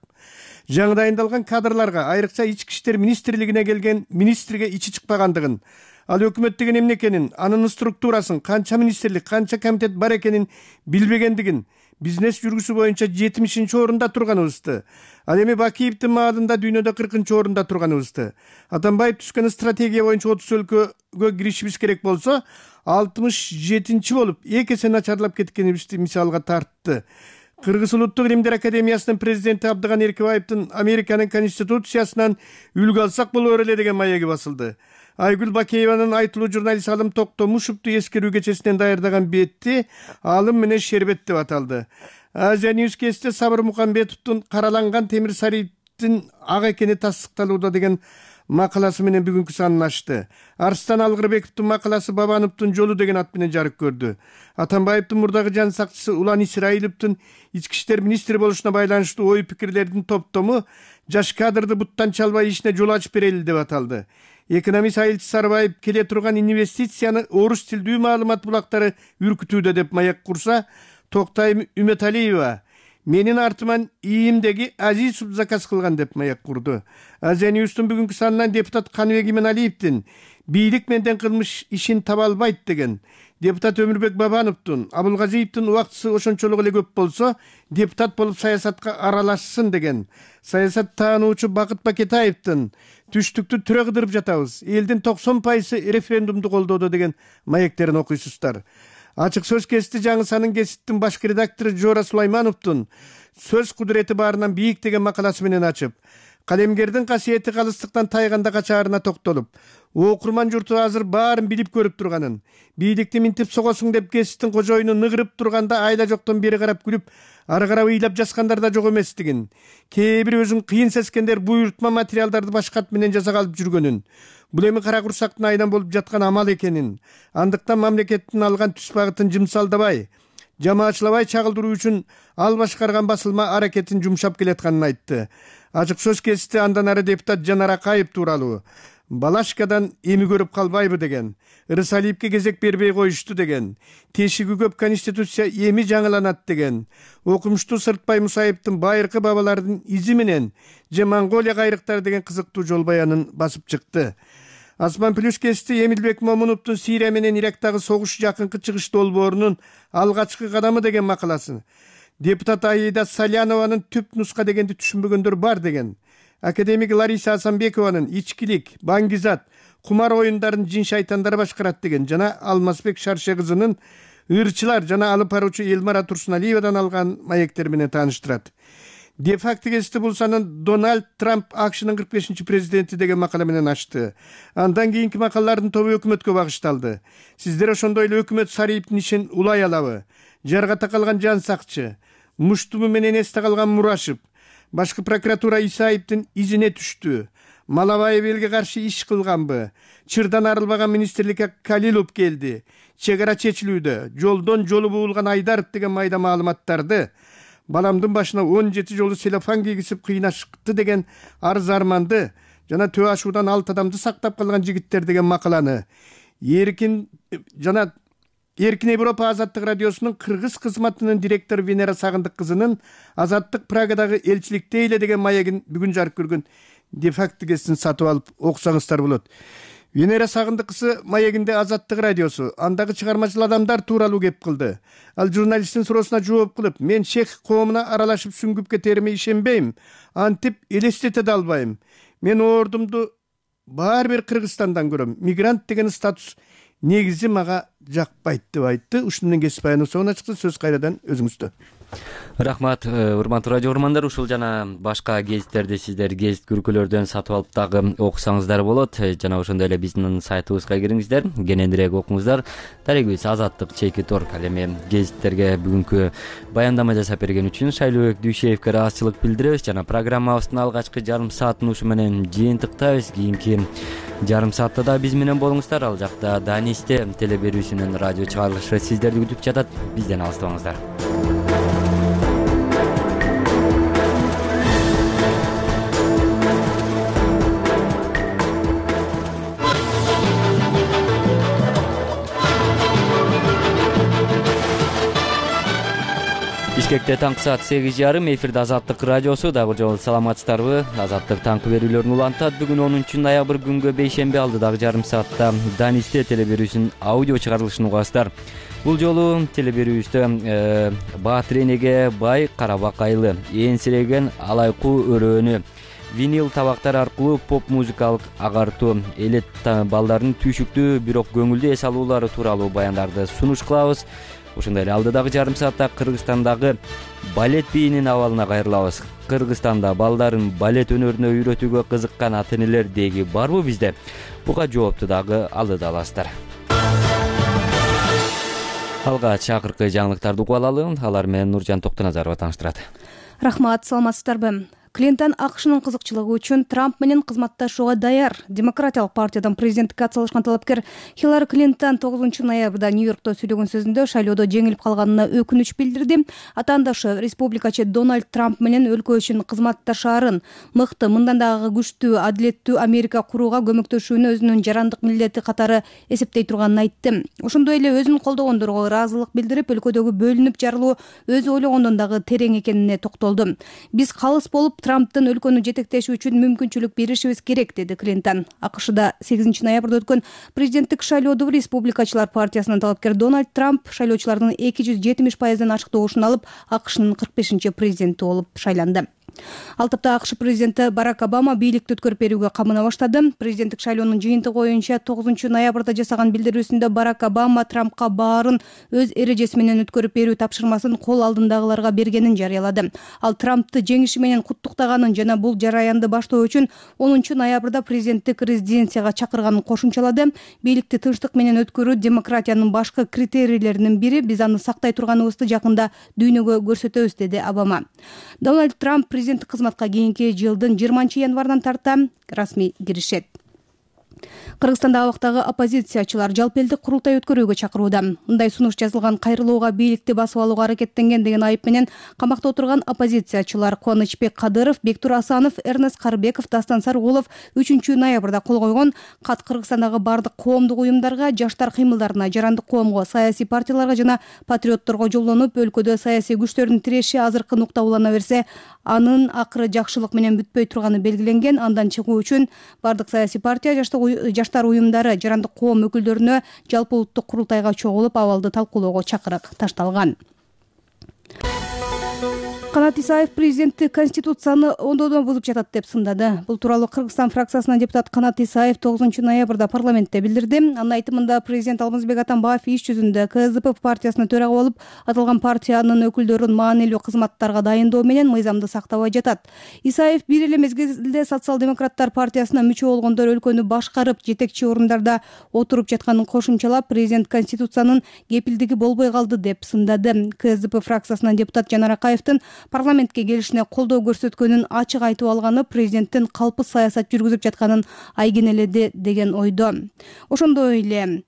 Жаңы дайындалган кадрларга, айрыкча ички иштер министрлигине келген министрге ичи чыкпагандыгын, ал өкмөт деген эмне экенин, анын структурасын, канча министрлик, канча комитет бар экенин билбегендигин, бизнес жүргүсү боюнча жетимишинчи орунда турганыбызды, ал эми Бакиевдин маалында дүйнөдө кыркынчы орунда турганыбызды, Атамбаев түзгөн стратегия боюнча отуз өлкөгө киришибиз керек болсо, алтымыш жетинчи болуп эки эсе начарлап кеткенибизди мисалга тартты. Кыргыз улуттук илимдер академиясынын президенти Абдыган Эркебаевдин Американын конституциясынан үлгү алсак болор эле деген маеги басылды. Айгүл Бакееванын айтылуу журналист Алым Токтомушевду эскерүү кечесинен даярдаган бетти Алым менен Шербет деп аталды. Азия Ньюс кесте Сабыр Мукамбетовдун караланган темир сариптин ак экени тасдыкталууда деген макаласы менен бүгүнкү санын ачты. Арстан Алгырбековдун макаласы Бабановдун жолу деген ат менен жарык көрдү. Атамбаевдин мурдагы жан сакчысы Улан Исраиловдун ички иштер министри болушуна байланыштуу ой пикирлердин топтому жаш кадрды буттан чалбай ишине жол ачып берели деп аталды. Экономист Айылчы Сарбаев келе турган инвестицияны орус тилдүү маалымат булактары үркүтүүдө деп маяк курса, Токтай Үмөталиева менин артыман ийимдеги Азизов заказ кылган деп маяк курду. Азия Ньюстун бүгүнкү санынан депутат Каныбек Иманалиевдин бийлик менен кылмыш ишин таба албайт деген, депутат Өмүрбек Бабановдун Абулгазиевдин убактысы ошончолук эле көп болсо, депутат болуп саясатка аралашсын деген, саясат таануучу Бакыт Бакетаевдин түштүктү түрө кыдырып жатабыз, элдин токсон пайызы референдумду колдоодо деген маектерин окуйсуздар. Ачык сөз кести жаңы санын гезиттин башкы редактору Жора Сулаймановдун сөз кудурети баарынан бийик деген макаласы менен ачып, калемгердин касиети калыстыктан тайганда качаарына токтолуп, окурман журту азыр баарын билип көрүп турганын, бийликти минтип согосуң деп гезиттин кожоюну ныгырып турганда айла жоктон бери карап күлүп, ары карап ыйлап жазгандар да жок эместигин, кээ бир өзүн кыйын сескендер буйрутма материалдарды башка ат менен жасап алып жүргөнүн, бул эми кара курсактын айынан болуп жаткан амал экенин, андыктан мамлекеттин алган түз багытын жымсалдабай, жамаачылабай чагылдыруу үчүн ал башкарган басылма аракетин жумшап келатканын айтты. Ачык сөз кести андан ары депутат Жанар Акаев тууралуу Балашкадан эми көрүп калбайбы деген, Ырысалиевке кезек бербей коюшту деген, тешиги көп конституция эми жаңыланат деген, окумуштуу Сыртбай Мусаевдин байыркы бабалардын изи менен же Монголия кайрыктары деген кызыктуу жол баянын басып чыкты. Асман Плюс кести Эмилбек Момуновдун Сирия менен Ирактагы согуш жакынкы чыгыш долбоорунун алгачкы кадамы деген макаласы, депутат Аида Салянованын түп нуска дегенди түшүнбөгөндөр бар деген, академик Лариса Асанбекованын ичкилик, баңгизат, кумар оюндарын жин шайтандар башкарат деген жана Алмазбек Шарше кызынын ырчылар жана алып баруучу Элмара Турсуналиевадан алган маектер менен тааныштырат. Де-факто гезити бул санын Дональд Трамп АКШнын кырк бешинчи президенти деген макала менен ачты. Андан кийинки макалалардын тобу өкмөткө багышталды. Сиздер ошондой эле өкмөт сарыйыптын ишин улай алабы? Жарга такалган жан сакчы, Муштуму менен эсте калган Мурашев, башкы прокуратура Исаевдин изине түштү. Малабаев элге каршы иш кылганбы? Чырдан арылбаган министрликке Калилов келди. Чек ара чечилүүдө. Жолдон жолу буулган Айдаров деген майда маалыматтарды баламдын башына он жети жолу селофан кийгизип кыйнашты деген арыз арманды жана төө ашуудан алты адамды сактап калган жигиттер деген макаланы Эркин жана Эркин Европа Азаттык радиосунун кыргыз кызматынын директору Венера Сагындык кызынын Азаттык Прагадагы элчиликте эле деген маегин бүгүн жарык көргөн де-факто гезитин сатып алып окусаңыздар болот. Венера Сагындык кызы маегинде Азаттык радиосу, андагы чыгармачыл адамдар тууралуу кеп кылды. Ал журналисттин суроосуна жооп кылып, мен чех коомуна аралашып сүңгүп кетериме ишенбейм, антип элестете да албайм. Мен ордумду баары бир Кыргызстандан көрөм. Мигрант деген статус негизи мага жакпайт деп айтты. Ушунун кесип баянын соңуна чыкты. Сөз кайрадан өзүңүздө. Рахмат, урматтуу радио угармандар. Ушул жана башка гезиттерди сиздер гезит күркөлөрдөн сатып алып дагы окусаңыздар болот. Жана ошондой эле биздин сайтыбызга кириңиздер, кененирээк окуңуздар. Дарегибиз Азаттык чеки торг. Ал эми гезиттерге бүгүнкү баяндама жасап берген үчүн Шайлообек Дүйшеевке ыраазычылык билдиребиз жана программабыздын алгачкы жарым саатын ушу менен жыйынтыктайбыз. Кийинки жарым саатта да биз менен болуңуздар. Ал жакта Данисте телеберүүсүнүн радио чыгарылышы сиздерди күтүп жатат. Бизден алыстабаңыздар. Бишкекте таңкы саат сегиз жарым, эфирде Азаттык радиосу. Дагы жолу саламатсыздарбы? Азаттык таңкы берүүлөрүн улантат. Бүгүн онунчу ноябрь күнгө бейшемби алды дагы жарым саатта Данисте телеберүүсүнүн аудио чыгарылышын угасыздар. Бул жолу телеберүүбүздө Баатыр энеге бай карабак айлы, ээңсиреген алайкуу өрөөнү, винил табактар аркылуу поп музыкалык агартуу, элет балдардын түйшүктүү бирок көңүлдүү эс алуулары тууралуу баяндарды сунуш кылабыз. Ошондой эле алдыдагы жарым саатта Кыргызстандагы балет бийинин абалына кайрылабыз. Кыргызстанда балдарын балет өнөрүнө үйрөтүүгө кызыккан ата-энелер деги барбы бизде? Буга жоопту дагы алдыда аласыздар. Алгач акыркы жаңылыктарды угуп алалы. Алар менен Нуржан Токтоназарова тааныштырат. Рахмат, саламатсыздарбы? Клинтон АКШнын кызыкчылыгы үчүн Трамп менен кызматташууга даяр. Демократиялык партиядан президенттикке атсалышкан талапкер Хиллари Клинтон тогузунчу ноябрда Нью-Йоркто сүйлөгөн сөзүндө шайлоодо жеңилип калганына өкүнүч билдирди. Атаандашы республикачы Дональд Трамп менен өлкө үчүн кызматташаарын, мыкты, мындан дагы күчтүү, адилеттүү Америка курууга көмөктөшүүнү өзүнүн жарандык милдети катары эсептей турганын айтты. Ошондой эле өзүн колдогондорго ыраазылык билдирип, өлкөдөгү бөлүнүп жарылуу өзү ойлогондон дагы терең экенине токтолду. Биз калыс болуп Трамптын өлкөнү жетектеши үчүн мүмкүнчүлүк беришибиз керек, деди Клинтон. АКШда сегизинчи ноябрда өткөн президенттик шайлоодо республикачылар партиясынын талапкер Дональд Трамп шайлоочулардын эки жүз жетимиш пайыздан ачык добушун алып, АКШнын кырк бешинчи президенти болуп шайланды. Ал тапта АКШ президенти Барак Обама бийликти өткөрүп берүүгө камына баштады. Президенттик шайлоонун жыйынтыгы боюнча тогузунчу ноябрда жасаган билдирүүсүндө Барак Обама Трампка баарын өз эрежеси менен өткөрүп берүү тапшырмасын кол алдындагыларга бергенин жарыялады. Ал Трампты жеңиши менен куттуктаганын жана бул жараянды баштоо үчүн онунчу ноябрда президенттик резиденцияга чакырганын кошумчалады. Бийликти тынчтык менен өткөрүү демократиянын башкы критерийлеринин бири. Биз аны сактай турганыбызды жакында дүйнөгө көрсөтөбүз, деди Обама. Дональд Трамп президенттик кызматка кийинки жылдын жыйырманчы январынан тарта расмий киришет. Кыргызстанда абактагы оппозициячылар жалпы элдик курултай өткөрүүгө чакырууда. Мындай сунуш жазылган кайрылууга бийликти басып алууга аракеттенген деген айып менен камакта отурган оппозициячылар Кубанычбек Кадыров, Бектур Асанов, Эрнест Карбеков, Дастан Саргулов үчүнчү ноябрда кол койгон кат Кыргызстандагы бардык коомдук уюмдарга, жаштар кыймылдарына, жарандык коомго, саясий партияларга жана патриотторго жолдонуп, өлкөдө саясий күчтөрдүн тиреши азыркы нукта улана берсе, анын акыры жакшылык менен бүтпөй турганы белгиленген. Андан чыгуу үчүн бардык саясий партия, жаштар уюмдары, жарандык коом өкүлдөрүнө жалпы улуттук курултайга чогулуп абалды талкуулоого чакырык ташталган. Канат Исаев президенtti Конституцияны ондодон бузуп жатат деп сындады. Бул тууралуу Кыргызстан фракциясынын депутаты Канат Исаев тогузунчу ноябрда парламентте билдирди. Анын айтымында президент Алмазбек Атамбаев иш жүзүндө КСДП партиясына төрага болуп, аталган партиянын өкүлдөрүн маанилүү кызматтарга дайындоо менен мыйзамды сактабай жатат. Исаев бир эле мезгилде социал-демократтар партиясына мүчө болгондор өлкөнү башкарып, жетекчи орундарда отуруп жатканын кошумчалап, президент Конституциянын кепилдиги болбой калды деп сындады. КСДП фракциясынын депутат Жанар Акаевдин парламентке келишине колдоо көрсөткөнүн ачык айтып алганы президенттин калпы саясат жүргүзүп жатканын айгинеледи деген ойдо. Ошондой эле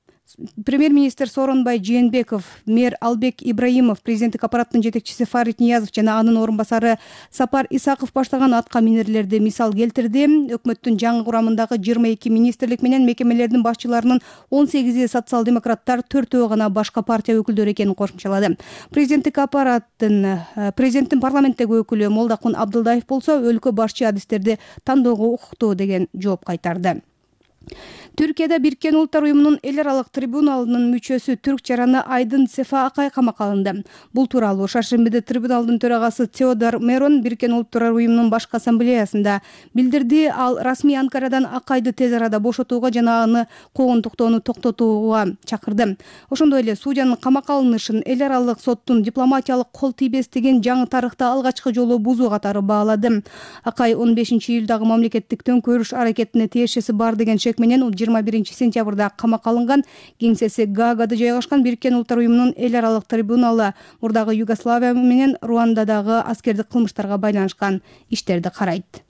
премьер-министр Сооронбай Жээнбеков, мэр Албек Ибраимов, президенттик аппараттын жетекчиси Фарид Ниязов жана анын орун басары Сапар Исаков баштаган атка минерлерди мисал келтирди. Өкмөттүн жаңы курамындагы жыйырма эки министрлик менен мекемелердин башчыларынын он сегизи социал-демократтар, төртөө гана башка партия өкүлдөрү экенин кошумчалады. Президенттик аппараттын президенттин парламенттеги өкүлү Молдокун Абдылдаев болсо, өлкө башчы адистерди тандоого укуктуу деген жооп кайтарды. Түркияда Бириккен Улуттар уюмунун эл аралык трибуналынын мүчөсү түрк жараны Айдын Сефа Акай камакка алынды. Бул тууралуу шаршембиде трибуналдын төрагасы Теодор Мерон Бириккен Улуттар уюмунун башкы ассамблеясында билдирди. Ал расмий Анкарадан Акайды тез арада бошотууга жана аны куугунтуктоону токтотууга чакырды. Ошондой эле судьянын камакка алынышын эл аралык соттун дипломатиялык кол тийбестигин жаңы тарыхта алгачкы жолу бузуу катары баалады. Акай он бешинчи июлдагы мамлекеттик төңкөрүш аракетине тиешеси бар деген шек менен жыйырма биринчи сентябрда камакка алынган. Кеңсеси Гаагада жайгашкан Бириккен Улуттар уюмунун эл аралык трибуналы мурдагы Югославия менен Руандадагы аскердик кылмыштарга байланышкан иштерди карайт.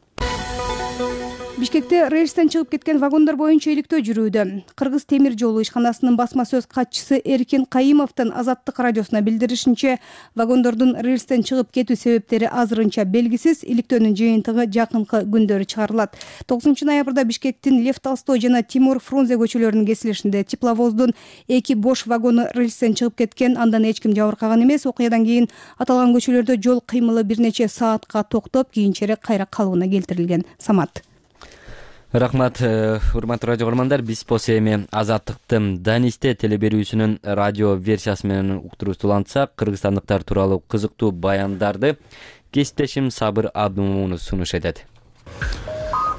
Бишкекте рейстен чыгып кеткен вагондар боюнча иликтөө жүрүүдө. Кыргыз темир жолу ишканасынын басма сөз катчысы Эркин Кайымовдун Азаттык радиосуна билдиришинче, вагондордун рейстен чыгып кетүү себептери азырынча белгисиз. Иликтөөнүн жыйынтыгы жакынкы күндөрү чыгарылат. тогузунчу ноябрда Бишкектин Лев Толстой жана Тимур Фрунзе көчөлөрүнүн кесилишинде тепловоздун эки бош вагону рейстен чыгып кеткен. Андан эч ким жабыркаган эмес. Окуядан кийин аталган көчөлөрдө жол кыймылы бир нече саатка токтоп, кийинчерээк кайра калыбына келтирилген. Самат. Рахмат, урматтуу радио көрөрмандар. Биз болсо эми Азаттыктын Данисте телеберүүсүнүн радио версиясы менен уктуруусу улантсак, кыргызстандыктар тууралуу кызыктуу баяндарды кесиптешим Сабыр Абдумунов сунуш этет.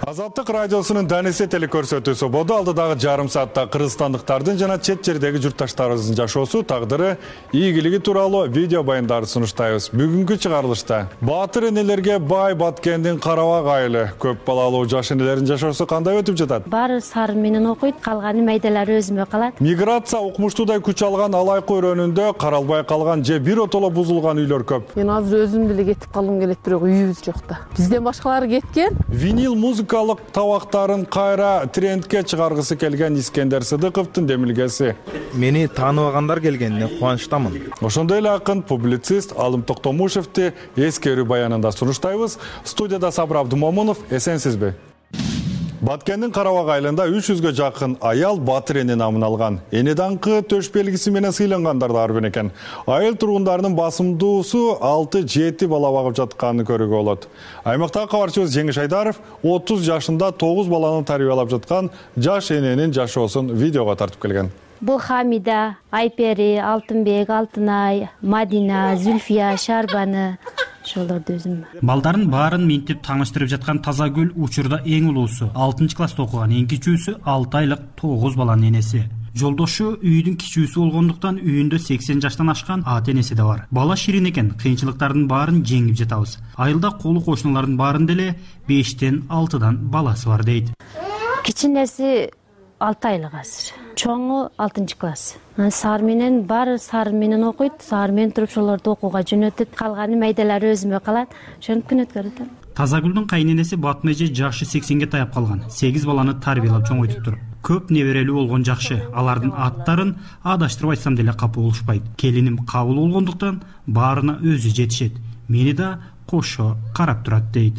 Азаттык радиосунун Данисте телекөрсөтүүсү болду. Алдыдагы жарым саатта кыргызстандыктардын жана чет жердеги журтташтарыбыздын жашоосу, тагдыры, ийгилиги тууралуу видео баяндарды сунуштайбыз. Бүгүнкү чыгарылышта баатыр энелерге бай Баткендин Карабак айылы көп балалуу жаш энелердин жашоосу кандай өтүп жатат? Баары сары менен окуйт, калганы майдалары өзүмө калат. Миграция укмуштуудай күч алган алайкы өрөөнүндө каралбай калган же бир отоло бузулган үйлөр көп. Мен азыр өзүм деле кетип калгым келет, бирок үйүбүз жок да. Бизден башкалары кеткен. Винил музыка табактарын кайра трендке чыгаргысы келген Искендер Сыдыковдун демилгеси. Мени тааныбагандар келгенине кубанычтамын. Ошондой эле акын, публицист Алым Токтомушевди эскерүү баянында сунуштайбыз. Студияда Сабыр Абдумомунов, эсенсизби? Баткендин Карабак айылында үч жүзгө жакын аял баатыр эне намын алган. Эне даңкы төш белгиси менен сыйлангандар да бар экен. Айыл тургундарынын басымдуусу алты жети бала багып жатканын көрүүгө болот. Аймактагы кабарчыбыз Жеңиш Айдаров отуз жашында тогуз баланы тарбиялап жаткан жаш эненин жашоосун видеого тартып келген. Бул Хамида, Айпери, Алтынбек, Алтынай, Мадина, Зүлфия, Шарбаны ошолорду өзүм. Балдарын баарын минтип тааныштырып жаткан Тазагүл учурда эң улуусу, алтынчы класста окуган, эң кичүүсү алты айлык тогуз баланын энеси. Жолдошу үйдүн кичүүсү болгондуктан үйүндө сексен жаштан ашкан ата энеси да бар. Бала ширин экен, кыйынчылыктардын баарын жеңип жатабыз. Айылда колу кошуналардын баарында эле бештен алтыдан баласы бар дейт. Кичинеси алты айлык азыр. Чоңу алтынчы класс. Сары менен бар, сары менен окуйт, сары менен туруп ошолорду окууга жөнөтөт. Калганы майдалары өзүмө калат. Ошентип күн өткөрөт. Тазагүлдүн кайненеси Батым эже жашы сексенге таяп калган. сегиз баланы тарбиялап чоңойтуптур. Көп неберелүү болгон жакшы. Алардын аттарын адаштырып айтсам деле капы болушпайт. Келиним кабыл болгондуктан баарына өзү жетишет. Мени да кошо карап турат дейт.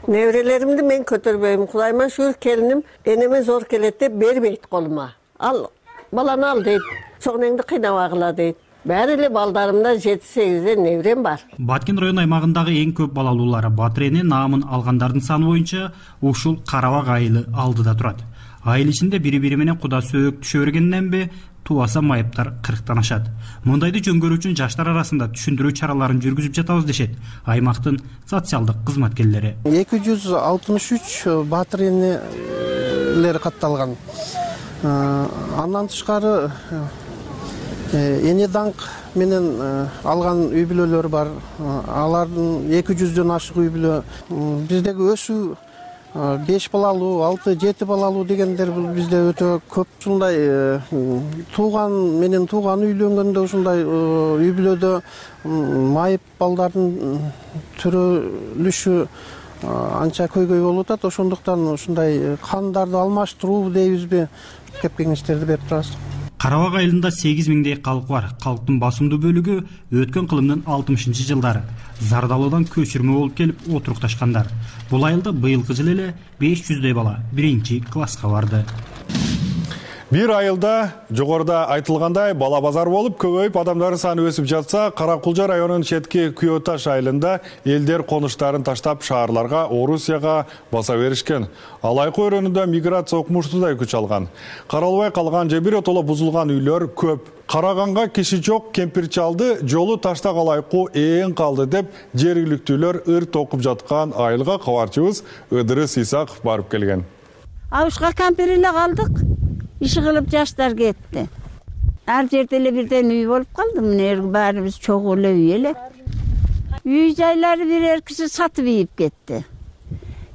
Неберелеримди мен көтөрбөйм. Кудайыма шүгүр, келиним энеме зор келет деп бербейт колума. Ал баланы ал дейт. Чоңнеңди кыйнабагыла дейт. Баары эле балдарымда жети сегизден неберем бар. Баткен район аймагындагы эң көп балалуулары Батыр эне наамын алгандардын саны боюнча ушул Карабак айылы алдыда турат. Айыл ичинде бири-бири менен куда сөөк түшө бергенден бе тубаса майыптар кырктан ашат. Мындайды жөнгөрүү үчүн жаштар арасында түшүндүрүү чараларын жүргүзүп жатабыз дешет аймактын социалдык кызматкерлери. эки жүз алтымыш үч баатыр энелер катталган. Андан тышкары эне даңк менен алган үй бүлөлөр бар. Алардын эки жүздөн ашык үй бүлө. Биздеги өсүү беш балалуу, алты жети балалуу дегендер бул бизде өтө көп. Ушундай тууган менен тууган үйлөнгөндө ушундай үй бүлөдө майып балдардын төрөлүшү анча көйгөй болуп атат. Ошондуктан ушундай кандарды алмаштыруу дейбизби, кеп кеңештерди берип турабыз. Карабак айылында сегиз миңдей калк бар. Калктын басымдуу бөлүгү өткөн кылымдын алтымышынчы жылдары Зардалуудан көчүрмө болуп келип отурукташкандар. Бул айылда быйылкы жылы эле беш жүздөй бала биринчи класска барды. Бир айылда жогоруда айтылгандай бала базар болуп көбөйүп адамдардын саны өсүп жатса, Каракулжа районунун четки Күйөташ айылында элдер конуштарын таштап шаарларга, Орусияга баса беришкен. Алайкы өрөөнүндө миграция окумуштуудай күч алган. Каралбай калган же биротоло бузулган үйлөр көп. Караганга киши жок кемпир чалды жолу ташта калайкуу ээн калды деп жергиликтүүлөр ыр токуп жаткан айылга кабарчыбыз Ыдырыс Исаков барып келген. Абышка кампир эле калдык. Иши кылып жаштар кетти. Ар жерде эле бирден үй болуп калды. Мына баарыбыз чогуу эле үй эле. Үй жайлары бир эркиси сатып ийип кетти.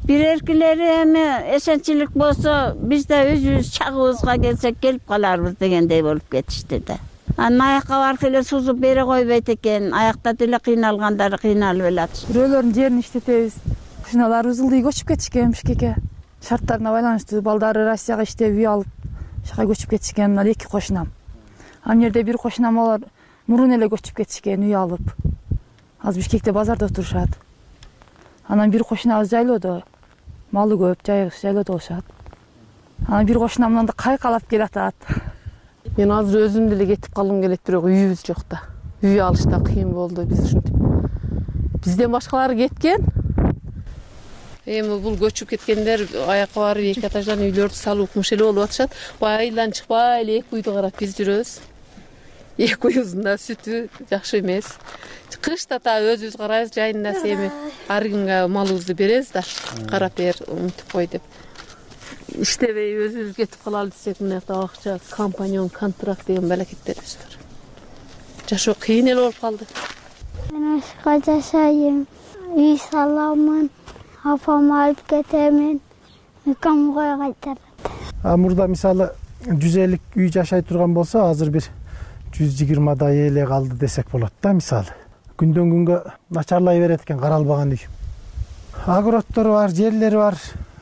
Бир эркилери эми эсенчилик болсо, биз да өзүбүз чагыбызга келсек келип каларбыз дегендей болуп кетишти да. Анан аякка барып эле сузуп бере койбойт экен. Аякта деле кыйналгандары кыйналып эле атышты. Бирөөлөрдүн жерин иштетебиз. Кушуналарыбыз ылдый көчүп кетишкен Бишкекке. Шарттарына байланыштуу балдары Россияга иштеп үй алып шага көчүп кетишкен. Мына эки кошунам. Ан жерде бир кошунам алар мурун эле көчүп кетишкен үй алып. Азыр Бишкекте базарда отурушат. Анан бир кошунабыз жайлоодо. Малы көп, жайгыш жайлоодо болушат. Анан бир кошунам мында кайкалап келатат. Мен азыр өзүм деле кетип калгым келет, бирок үйүбүз жок да. Үй алышта кыйын болду биз ушинтип. Бизден башкалары кеткен. Эми бул көчүп кеткендер аякка барып эки этаждан үйлөрдү салып укмуш эле болуп атышат. Баягы айылдан чыкпай эле эки үйдү карап биз жүрөбүз. Эки үйүбүздүн да сүтү жакшы эмес. Кышта та өзүбүз карайбыз, жайында эми ар кимге малыбызды беребиз да, карап бер, умтуп кой деп. Иштебей өзүбүз кетип калалы десек, мына жакта акча, компаньон, контракт деген балакеттерибиз бар. Жашоо кыйын эле болуп калды. Мен ашка жашайм, үй саламын. Апам алып кетемин, камга кайтарат. Мурда мисалы жүз элүү үй жашай турган болсо, азыр бир жүз жыйырмадай эле калды десек болот да, мисалы. Күндөн күнгө начарлай берет экен каралбаган үй. Огороддор бар, жерлери бар.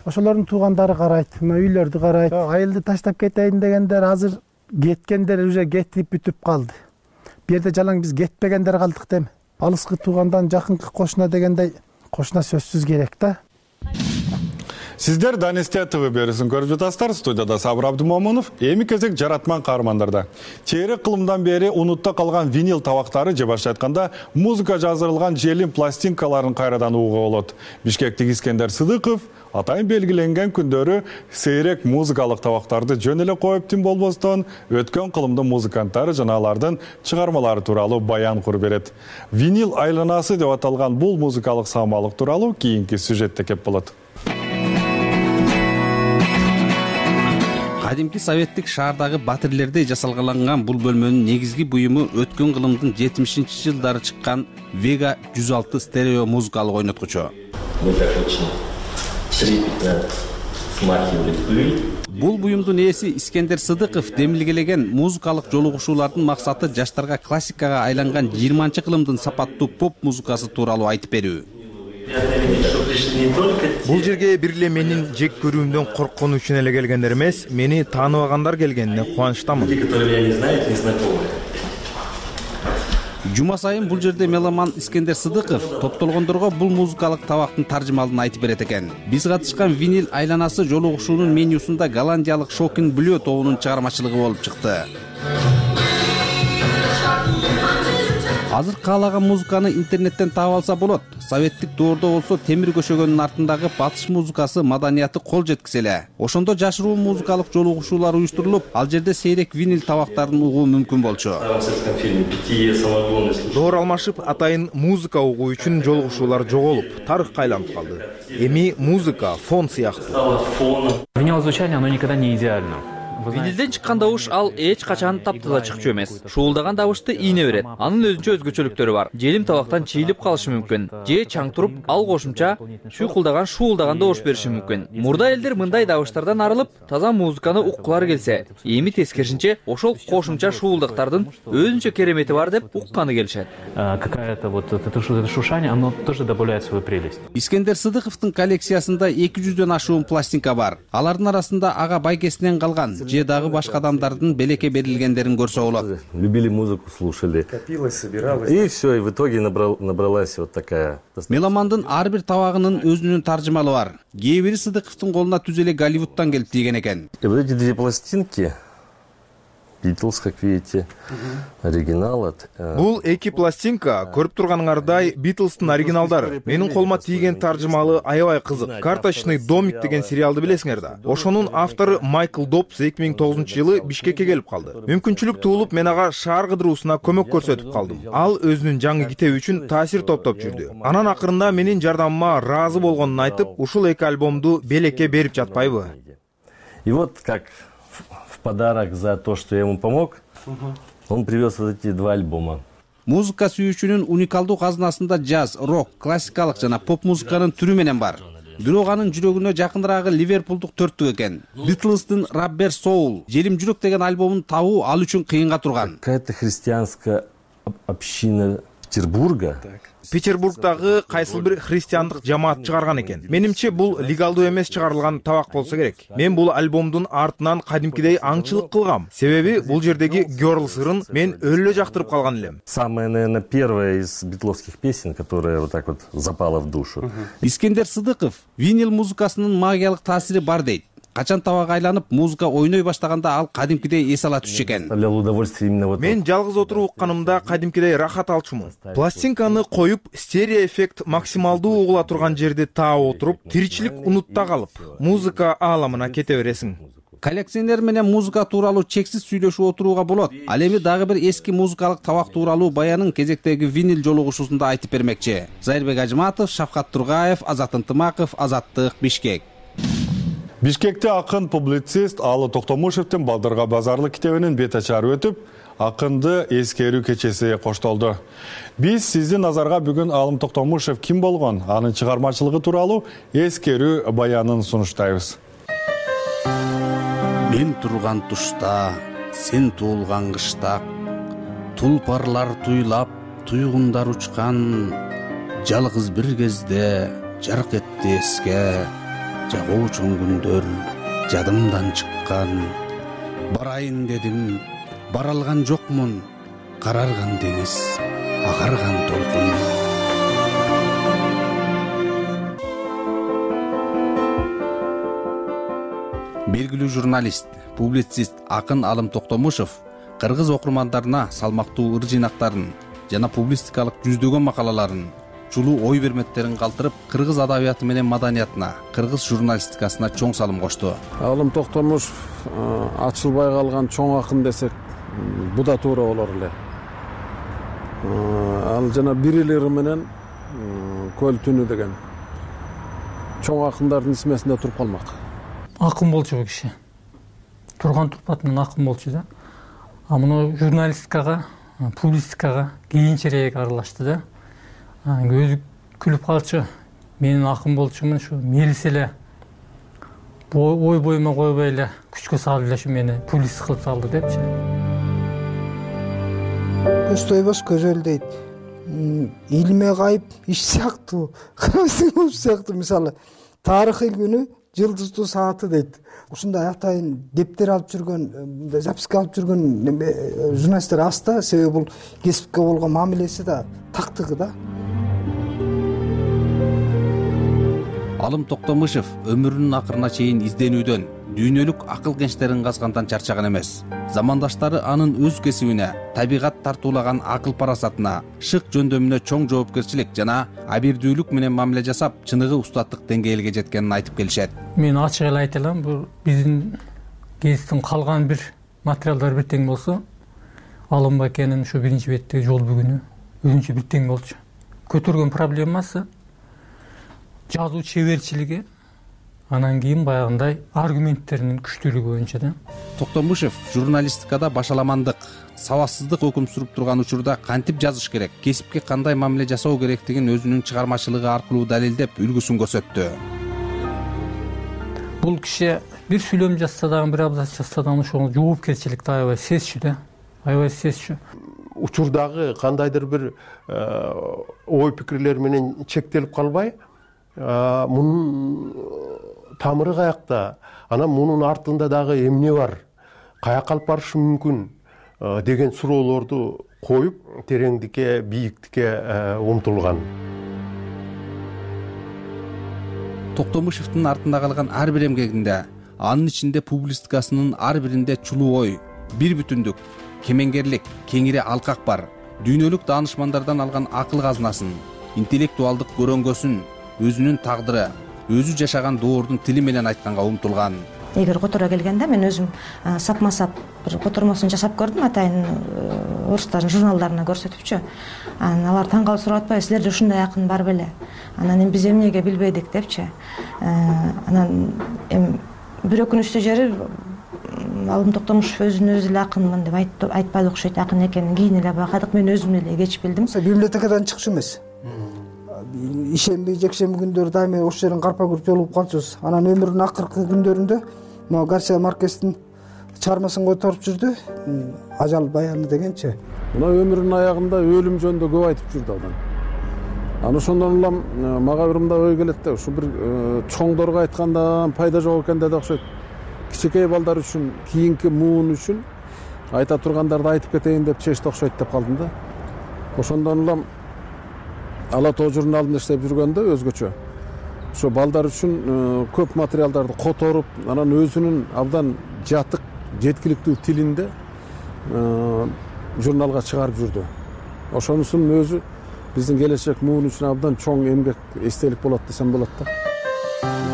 Ошолордун туугандары карайт, мына үйлөрдү карайт. Айылды таштап кетейин дегендер азыр кеткендер уже кетип бүтүп калды. Бу жерде жалаң биз кетпегендер калдык дем. Алыскы туугандан жакынкы кошуна дегендей кошуна сөзсүз керек да. Сиздер Данесте ТВ берүүсүн көрүп жатасыздар. Студияда Сабыр Абдымомунов. Эми кезек жаратман каармандарда. Чейрек кылымдан бери унутта калган винил табактары же башка айтканда музыка жаздырылган желим пластинкаларын кайрадан угууга болот. Бишкектик Искендер Сыдыков атайын белгиленген күндөрү сейрек музыкалык табактарды жөн эле коюп тим болбостон өткөн кылымдын музыканттары жана алардын чыгармалары тууралуу баян куруп берет. Винил айланасы деп аталган бул музыкалык саамалык тууралуу кийинки сюжетте кеп болот. Кадимки советтик шаардагы батирлердей жасалгаланган бул бөлмөнүн негизги буюму өткөн кылымдын жетимишинчи жылдары чыккан Vega жүз алты стерео музыкалык ойноткучу. Бул буюмдун ээси Искендер Сыдыков демилгелеген музыкалык жолугушуулардын максаты жаштарга классикага айланган жыйырманчы кылымдын сапаттуу поп музыкасы тууралуу айтып берүү. Бул жерге бир эле менин жек көрүүмдөн корккону үчүн эле келгендер эмес, мени тааныбагандар келгенине кубанычтамын. Жума сайын бул жерде меломан Искендер Сыдыков топтолгондорго бул музыкалык табактын таржымалын айтып берет экен. Биз катышкан винил айланасы жолугушуунун менюсунда голландиялык Шокин Блю тобунун чыгармачылыгы болуп чыкты. Азыр каалаган музыканы интернеттен таап алса болот. Советтик доордо болсо темир көшөгөнүн артындагы батыш музыкасы маданияты кол жеткизе эле. Ошондо жашыруу музыкалык жолугушуулар уюштурулуп, ал жерде сейрек винил табактарын угуу мүмкүн болчу. Доор алмашып, атайын музыка угуу үчүн жолугушуулар жоголуп, тарыхка айланып калды. Эми музыка фон сыяктуу. Винил звучание, оно никогда не идеально. Винилден чыккан добуш ал эч качан таптаза чыкчу эмес. Шуулдаган добушты ийне берет. Анын өзүнчө өзгөчөлүктөрү бар. Желим табактан чийилип калышы мүмкүн. Же чаң туруп, ал кошумча шуйкулдаган шуулдаган добуш бериши мүмкүн. Мурда элдер мындай добуштардан арылып, таза музыканы уккулары келсе, эми тескерисинче ошол кошумча шуулдыктардын өзүнчө керемети бар деп укканы келишет. Какая-то вот это шушание, оно тоже добавляет свою прелесть. Искендер Сыдыковдун коллекциясында эки жүздөн ашуун пластинка бар. Алардын арасында ага байкесинен калган же дагы башка адамдардын белекке берилгендерин көрсө болот. Любили музыку, слушали. Копилось, собиралось. И все, и в итоге набрал, набралась вот такая. Меломандын ар бир табагынын өзүнүн таржымалы бар. Кээ бири Сыдыковдун колуна түз эле Голливудтан келип тийген экен. И вот эти две пластинки, Beatles, как видите, оригинал от... Бул эки пластинка көрүп турганыңардай Beatles'тын оригиналдары. Менин колума тийген таржымалы аябай кызык. Карточный домик деген сериалды билесиңер да. Ошонун автору Майкл Добс эки миң тогузунчу жылы Бишкекке келип калды. Мүмкүнчүлүк туулуп, мен ага шаар кыдыруусуна көмөк көрсөтүп калдым. Ал өзүнүн жаңы китеби үчүн таасир топтоп жүрдү. Анан акырында менин жардамыма ыраазы болгонун айтып, ушул эки альбомду Белекке берип жатпайбы? И вот как в подарок за то, что я ему помог, он привез вот эти два альбома. Музыка сүйүүчүнүн уникалдуу казынасында джаз, рок, классикалык жана поп музыканын түрү менен бар. Бирок анын жүрөгүнө жакыныраагы Ливерпулдук төрттүк экен. Beatles'тын Rubber Soul, Желим жүрөк деген альбомун табуу ал үчүн кыйынга турган. Какая-то христианская община Петербурга. Петербургдагы кайсыл бир христиандык жамаат чыгарган экен. Менимче бул легалдуу эмес чыгарылган табак болсо керек. Мен бул альбомдун артынан кадимкидей аңчылык кылгам. Себеби бул жердеги Girls ырын мен өлө жактырып калган элем. Самая, наверное, первая из битловских песен, которая вот так вот запала в душу. Искендер Сыдыков винил музыкасынын магиялык таасири бар дейт. Качан табак айланып, музыка ойной баштаганда ал кадимкидей эс ала түшчү экен. Мен жалгыз отуруп укканымда кадимкидей рахат алчумун. Пластинканы коюп, стерео эффект максималдуу угула турган жерди таап отуруп, тиричилик унутта калып, музыка ааламына кете бересиң. Коллекционер менен музыка тууралуу чексиз сүйлөшүп отурууга болот. Ал эми дагы бир эски музыкалык табак тууралуу баянын кезектеги винил жолугушуусунда айтып бермекчи. Зайырбек Ажыматов, Шавкат Тургаев, Азат Ынтымаков, Азаттык, Бишкек. Бишкекте акын публицист Алы Токтомушевдин Балдырга базарлы китебинин бет ачары өтүп, акынды эскерүү кечеси коштолду. Биз сиздин назарга бүгүн Алым Токтомушев ким болгон, анын чыгармачылыгы тууралуу эскерүү баянын сунуштайбыз. Мен турган тушта, сен туулган кышта, тулпарлар туйлап, туйгундар учкан, жалгыз бир кезде жарк этти эске. Жагуучун күндөр жадымдан чыккан, барайын дедим, бара алган жокмун, карарган деңиз, агарган толкун. Белгилүү журналист, публицист акын Алым Токтомушев кыргыз окурмандарына салмактуу ыр жыйнактарын жана публистикалык жүздөгөн макалаларын, чулуу ой берметтерин калтырып, кыргыз адабияты менен маданиятына, кыргыз журналистикасына чоң салым кошту. Алым Токтомушев ачылбай калган чоң акын десек, бу да туура болор эле. Ал жана бир эле ыры менен Көл түнү деген чоң акындардын исмесинде туруп калмак. Акын болчу бул киши. Турган турпатынан акын болчу да. А муну журналистикага, публистикага кийинчерээк аралашты да. Өзү күлүп калчу, менин акын болчумун, ушу мелис эле ой боюма койбой эле күчкө салып эле ушу мени публицист кылып салды депчи. Көз тойбош көзөл дейт. Илме кайып иш сыяктуу, кырмызы сыяктуу, мисалы тарыхый күнү жылдыздуу сааты дейт. Ушундай атайын дептер алып жүргөн, записка алып жүргөн журналисттер аз да, себеби бул кесипке болгон мамилеси да, тактыгы да. Алым Токтомушев өмүрүнүн акырына чейин изденүүдөн, дүйнөлүк акыл кенчтерин казгандан чарчаган эмес. Замандаштары анын өз кесибине, табигат тартуулаган акыл парасатына, шык жөндөмүнө чоң жоопкерчилик жана абийирдүүлүк менен мамиле жасап, чыныгы устаттык деңгээлге жеткенин айтып келишет. Мен ачык эле айта алам, бул биздин гезиттин калган бир материалдары бир тең болсо, Алым Бакенин ушу биринчи беттеги жол бүгүнү өзүнчө бир тең болчу. Көтөргөн проблемасы жазуу чеберчилиги, анан кийин баягындай аргументтеринин күчтүүлүгү боюнча да. Токтомушев журналистикада башаламандык, сабатсыздык өкүм сүрүп турган учурда кантип жазыш керек, кесипке кандай мамиле жасоо керектигин өзүнүн чыгармачылыгы аркылуу далилдеп, үлгүсүн көрсөттү. Бул киши бир сүйлөм жазса дагы, бир абзац жазса дагы ошого жоопкерчиликти аябай сезчү да, аябай сезчү. Учурдагы кандайдыр бир ой пикирлер менен чектелип калбай, мунун тамыры каякта, анан мунун артында дагы эмне бар, каяка алып барышы мүмкүн деген суроолорду коюп, тереңдикке, бийиктикке умтулган. Токтомушевдин артында калган ар бир эмгегинде, анын ичинде публистикасынын ар биринде чулуу ой, бир бүтүндүк, кемеңгерлик, кеңири алкак бар, дүйнөлүк даанышмандардан алган акыл казынасын, интеллектуалдык көрөңгөсүн, өзүнүн тагдыры, өзү жашаган доордун тили менен айтканга умтулган. Эгер которо келгенде мен өзүм сапма сап бир котормосун жасап көрдүм, атайын орустардын журналдарына көрсөтүпчү. Анан алар таң калып сурап атпайбы, силерде ушундай акын бар беле? Анан эми биз эмнеге билбедик депчи. Анан эми бир өкүнүчтүү жери Алым Токтомушев өзүн өзү эле акынмын деп айтпады окшойт, акын экенин кийин эле байкадык. Мен өзүм эле кеч билдим. Библиотекадан чыкчу эмес. Ишемби, жекшемби күндөрү дайыма ош жерин карпа күрүп жолугуп калчубуз. Анан өмүрүнүн акыркы күндөрүндө могу Гарсия Маркестин чыгармасын которуп жүрдү. Ажал баяны дегенчи. Мына өмүрүнүн аягында өлүм жөнүндө көп айтып жүрдү адам. Анан ошондон улам мага бир мындай ой келет да, ушу бир чоңдорго айткандан пайда жок экен деди окшойт. Кичинекей балдар үчүн, кийинки муун үчүн айта тургандарды айтып кетейин деп чечти окшойт деп калдым да. Ошондон улам Ала Тоо журналында иштеп жүргөндө өзгөчө ошо балдар үчүн көп материалдарды которуп, анан өзүнүн абдан жатык, жеткиликтүү тилинде журналга чыгарып жүрдү. Ошонусунун өзү биздин келечек муун үчүн абдан чоң эмгек, эстелик болот десем болот да.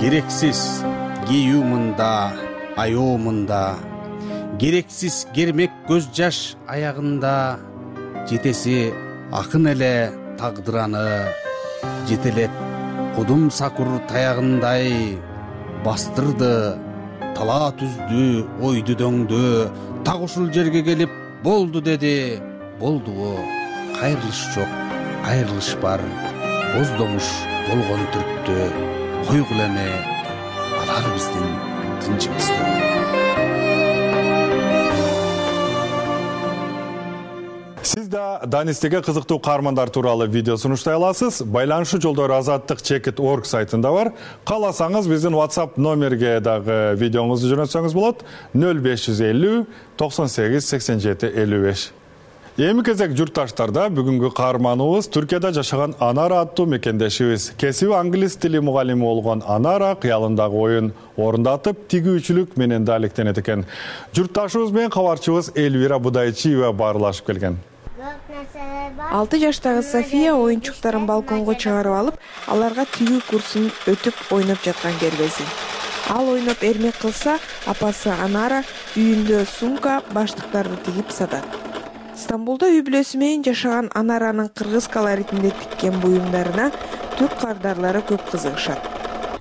Керексиз кийүү мында, аёо мында, керексиз кермек көз жаш аягында, жетеси акын эле тагдыраны, жетелет кудум сакур таягындай, бастырды, тала түздү, ойду дөңдү, так ушул жерге келип болду деди. Болдубу? Кайрылыш жок, айрылыш бар, боздомуш болгон түрктү, койгула эме алар биздин тынчыбызды. Сиз да Данистеге кызыктуу каармандар тууралуу видео сунуштай аласыз. Байланышуу жолдору азаттык чекит точка орг сайтында бар. Кааласаңыз биздин WhatsApp номерге дагы видеоңузду жөнөтсөңүз болот. нөл беш жүз элүү токсон сегиз сексен жети элүү беш. Эми кезек журтташтарда бүгүнкү каарманыбыз Түркияда жашаган Анара аттуу мекендешибиз. Кесиби англис тили мугалими болгон Анара кыялындагы оюн орундатып, тигүүчүлүк менен да алектенет экен. Журтташыбыз менен кабарчыбыз Элвира Будайчиева баарлашып келген. алты жаштагы София оюнчуктарын балконго чыгарып алып, аларга тигүү курсун өтүп ойноп жаткан кербези. Ал ойноп эрмек кылса, апасы Анара үйүндө сумка, баштыктарды тигип сатат. Стамбулда үй бүлөсү менен жашаган Анаранын кыргыз колоритинде тиккен буюмдарына түрк кардарлары көп кызыгышат.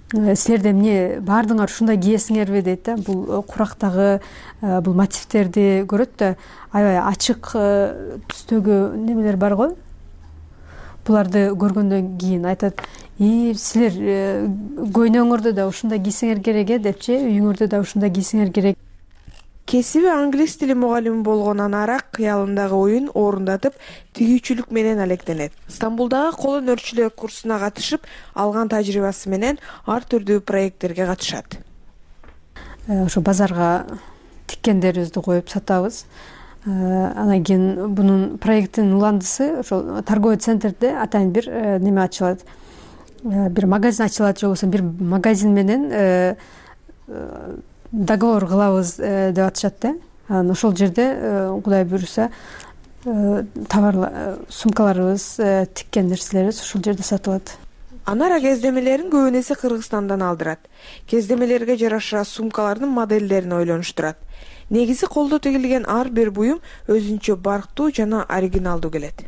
Силерде эмне баардыгыңар ушундай кийесиңерби дейт да. Бул курактагы бул мотивтерди көрөт да, аябай ачык түстөгү немелер бар го. Буларды көргөндөн кийин айтат: "И силер көйнөңөрдө да ушундай кийсеңер керек э" депчи, үйүңөрдө да ушундай кийсеңер керек. Кесиби англис тили мугалими болгон Анара кыялындагы оюн орундатып, тигүүчүлүк менен алектенет. Стамбулдагы кол өнөрчүлүк курсуна катышып, алган тажрыйбасы менен ар түрдүү проекттерге катышат. Ошо базарга тиккендерибизди коюп сатабыз. Анан кийин бунун проекттин уландысы ошол торговый центрде атайын бир неме ачылат. Бир магазин ачылат, же болбосо бир магазин менен договор кылабыз деп атышат да. Анан ошол жерде Кудай буйруса товарлар, сумкаларыбыз, тиккен нерселерибиз ошол жерде сатылат. Анара кездемелерин көбүн эсе Кыргызстандан алдырат. Кездемелерге жараша сумкалардын модельдерин ойлонуштурат. Негизи колдо тигилген ар бир буюм өзүнчө барктуу жана оригиналдуу келет.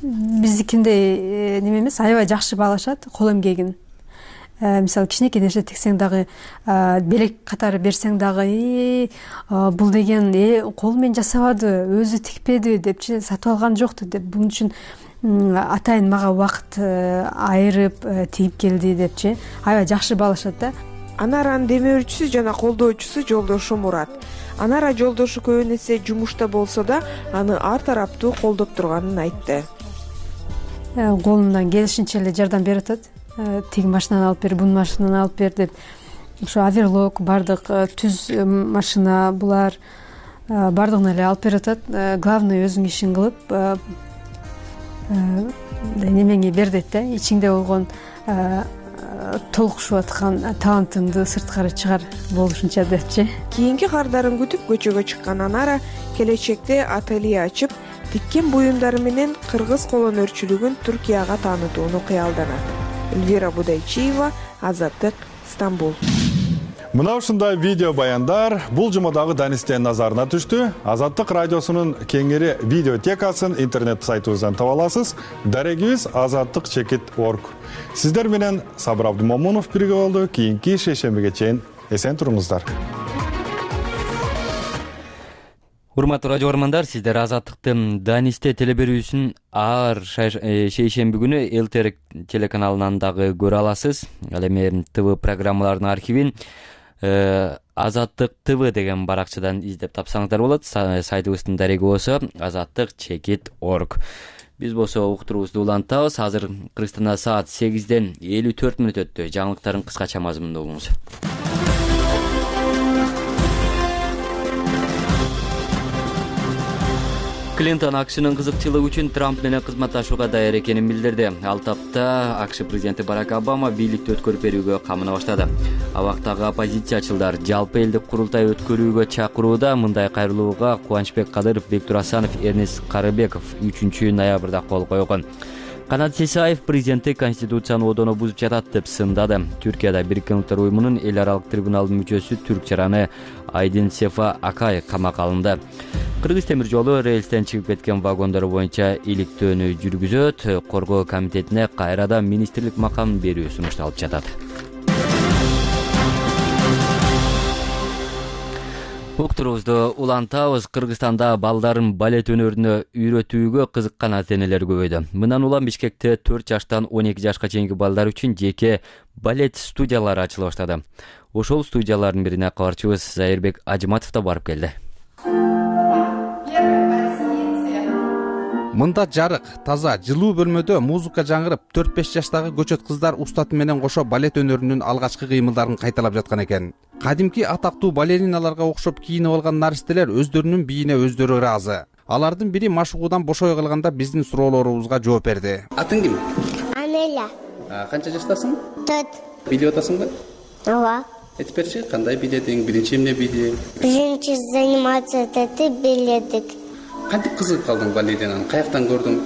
Биздикиндей неме эмес, аябай жакшы баалашат кол эмгегин. Мисалы кичинекей нерсе тиксең дагы, белек катары берсең дагы, бул деген кол менен жасабады, өзү тикпеди депчи, сатып алган жокту деп, бунун үчүн атайын мага убакыт айырып тигип келди депчи, аябай жакшы баалашат да. Анаранын демөөрчүсү жана колдоочусу жолдошу Мурат. Анара жолдошу көбүн эсе жумушта болсо да, аны ар тараптуу колдоп турганын айтты. Колунан келишинче эле жардам берип атат. Тиги машинаны алып бер, бун машинаны алып бер деп. Ошо оверлок, бардык түз машина булар бардыгын эле алып берип атат. Главный өзүң ишин кылып, немеңи бер дейт да. Ичиңде болгон толкушуп аткан талантымды сырткары чыгар болушунча депчи. Кийинки кардарын күтүп көчөгө чыккан Анара келечекте ателье ачып, тиккен буюмдары менен кыргыз колөнөрчүлүгүн Түркияга таанытууну кыялданат. Эльвира Будайчиева, Азаттык, Стамбул. Мына ушундай видео баяндар бул жумадагы Данистен назарына түштү. Азаттык радиосунун кеңири видеотекасын интернет сайтыбыздан таба аласыз. Дарегибиз азаттык чекит точка орг. Сиздер менен Сабыр Абдумомунов бирге болду. Кийинки шейшембиге чейин эсен туруңуздар. Урматтуу радио көрөрмандар, сиздер Азаттыктын Данисте телеберүүсүн ар шейшемби күнү ЛТР телеканалынан дагы көрө аласыз. Ал эми ТВ программаларынын архивин Азаттык ТВ деген баракчадан издеп тапсаңыздар болот. Сайтыбыздын дареги болсо азаттык чекит точка орг. Биз болсо уктуруубузду улантабыз. Азыр Кыргызстанда саат сегизден элүү төрт мүнөт өттү. Жаңылыктардын кыскача мазмунун угуңуз. Клинтон АКШнын кызыкчылыгы үчүн Трамп менен кызматташууга даяр экенин билдирди. Ал тапта АКШ президенти Барак Обама бийликти өткөрүп берүүгө камына баштады. Абактагы оппозициячылар жалпы элдик курултай өткөрүүгө чакырууда. Мындай кайрылууга Кубанычбек Кадыров, Бектур Асанов, Эрнест Карыбеков үчүнчү ноябрда кол койгон. Канат Сисаев президенттик конституцияны одоно бузуп жатат деп сындады. Түркияда Бириккен Улуттар уюмунун эл аралык трибуналынын мүчөсү түрк жараны Айдин Сефа Акай камакка алынды. Кыргыз темир жолу рельстен чыгып кеткен вагондор боюнча иликтөөнү жүргүзөт. Коргоо комитетине кайрадан министрлик макамын берүү сунушталып жатат. Уктуруубузду улантабыз. Кыргызстанда балдарын балет өнөрүнө үйрөтүүгө кызыккан ата-энелер көбөйдү. Мындан улам Бишкекте төрт жаштан он эки жашка чейинки балдар үчүн жеке балет студиялары ачыла баштады. Ошол студиялардын бирине кабарчыбыз Зайырбек Ажыматов да барып келди. Мында жарык, таза, жылуу бөлмөдө музыка жаңырып, төрт беш жаштагы көчөт кыздар устаты менен кошо балет өнөрүнүн алгачкы кыймылдарын кайталап жаткан экен. Кадимки атактуу балериналарга окшоп кийинип алган наристелер өздөрүнүн бийине өздөрү ыраазы. Алардын бири машыгуудан бошой калганда биздин суроолорубузга жооп берди. Атың ким? Анеля. Канча жаштасың? төрт. Бийлеп атасыңбы? Ооба. Айтып берчи, кандай бийледиң? Биринчи эмне бийдиң? Биринчи заниматься этип бийледик. Кантип кызыгып калдың балеринаны? Каяктан көрдүң?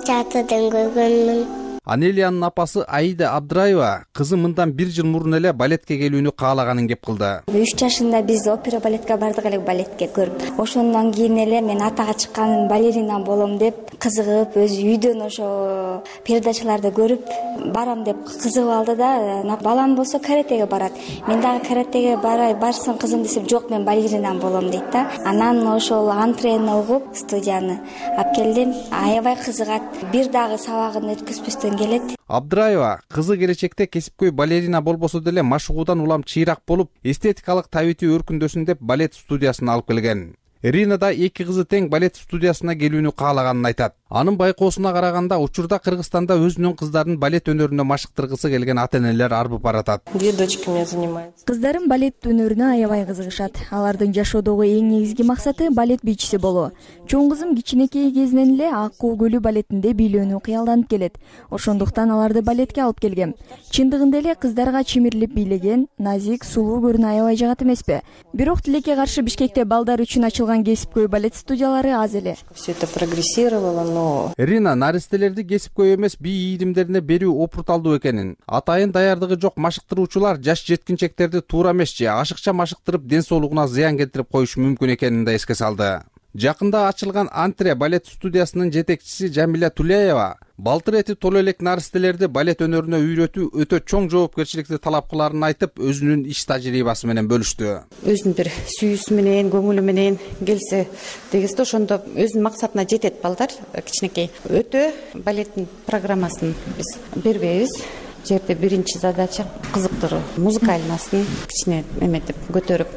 Театрдан көргөнмүн. Анелиянын апасы Аида Абдраева кызы мындан бир жыл мурун эле балетке келүүнү каалаганын кеп кылды. үч жашында биз опера балетке бардык эле балетке көрүп. Ошондон кийин эле мен атага чыккан балерина болом деп кызыгып, өз үйдөн ошо передачаларды көрүп барам деп кызыгып алды да, балам болсо каратеге барат. Мен дагы каратеге барай, барсын кызым десем, жок мен балерина болом дейт да. Анан ошол антрене угуп студияны алып келдим. Аябай кызыгат. Бир дагы сабагын өткөзбөстөн келет. Абдраева кызы келечекте кесипкөй балерина болбосо деле машыгуудан улам чыйрак болуп, эстетикалык табити өркүндөсүн деп балет студиясына алып келген. Ирина да эки кызы тең балет студиясына келүүнү каалаганын айтат. Анын байкоосуна караганда учурда Кыргызстанда өзүнүн кыздарын балет өнөрүнө машыктыргысы келген ата-энелер арбып баратат. Две дочки меня занимают. Кыздарым балет өнөрүнө аябай кызыгышат. Алардын жашоодогу эң негизги максаты балет бийчиси болуу. Чоң кызым кичинекей кезинен эле Ак Куу көлү балетинде бийлөөнү кыялданып келет. Ошондуктан аларды балетке алып келгем. Чындыгында эле кыздарга чимирлип бийлеген, назик, сулуу көрүнө аябай жагат эмеспи? Бирок тилекке каршы Бишкекте балдар үчүн ачылган кесипкөй балет студиялары аз эле. Все это прогрессировало, но Ирина наристелерди кесипкөй эмес бий ийдимдерине берүү опурталдуу экенин, атайын даярдыгы жок машыктыруучулар жаш жеткинчектерди туура эмес же ашыкча машыктырып ден соолугуна зыян келтирип коюшу мүмкүн экенин да эске салды. Жакында ачылган Антре балет студиясынын жетекчиси Жамиля Тулеева балтыр эти толо элек наристелерди балет өнөрүнө үйрөтүү өтө чоң жоопкерчиликти талап кыларын айтып, өзүнүн иш тажрыйбасы менен бөлүштү. Өзүнүн бир сүйүүсү менен, көңүлү менен келсе дегизде ошондо өзүнүн максатына жетет балдар. Кичинекей өтө балеттин программасын биз бербейбиз. Жерде биринчи задача кызыктыруу, музыкальнысын кичине эметип көтөрүп,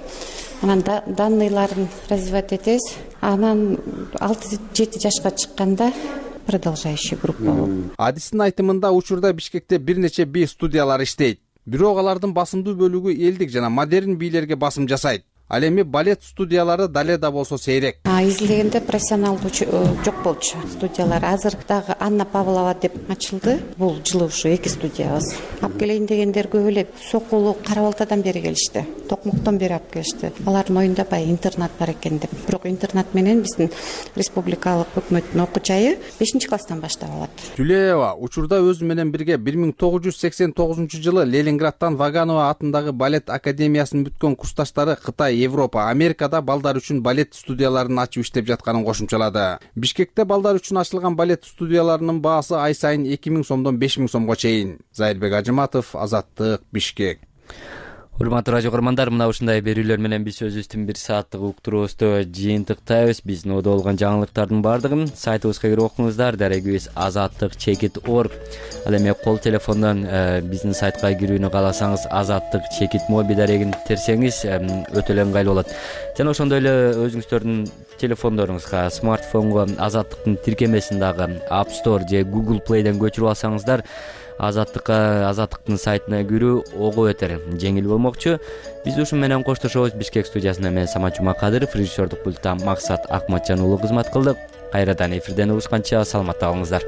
анан данныйларын развивать этебиз. Анан алты жети жашка чыкканда продолжающий группа болуп. Адистин айтымында учурда Бишкекте бир нече бий студиялары иштейт. Бирок алардын басымдуу бөлүгү элдик жана модерн бийлерге басым жасайт. Ал эми балет студиялары дале да болсо сейрек. Изилдегенде профессионалдуу жок болчу студиялар. Азыр дагы Анна Павлова деп ачылды. Бул жылы ушу эки студиябыз. Алып келейин дегендер көп эле. Сокулу Кара Балтадан бери келишти. Токмоктон бери алып келишти. Алардын оюнда баягы интернат бар экен деп. Бирок интернат менен биздин республикалык өкмөттүн окуу жайы бешинчи класстан баштап алат. Тюлеева учурда өзү менен бирге бир миң тогуз жүз сексен тогузунчу жылы Ленинградтан Ваганова атындагы балет академиясын бүткөн курсташтары Кытай, Европа, Америкада балдар үчүн балет студияларын ачып иштеп жатканын кошумчалады. Бишкекте балдар үчүн ачылган балет студияларынын баасы ай сайын эки миң сомдон беш миң сомго чейин. Зайырбек Ажыматов, Азаттык, Бишкек. Урматтуу радио көрөрмандар, мына ушундай берүүлөр менен биз өзүбүздүн бир сааттык уктуруубузду жыйынтыктайбыз. Биздин оодо болгон жаңылыктардын баардыгын сайтыбызга кирип окуңуздар. Дарегибиз азаттык чекит точка орг. Ал эми кол телефондон биздин сайтка кирүүнү кааласаңыз азаттык чекит моби дарегин терсеңиз өтө эле ыңгайлуу болот. Жана ошондой эле өзүңүздөрдүн телефондоруңузга смартфонго азаттыктын тиркемесин дагы App Store же Google Play'ден көчүрүп алсаңыздар, азаттыкка азаттыктын сайтына кирүү ого өтөр жеңил болмокчу. Биз ушу менен коштошобуз. Бишкек студиясынан мен Самат Жумакадыров, режиссердук пульттан Максат Акматжан уулу кызмат кылдык. Кайрадан эфирден угушканча саламатта калыңыздар.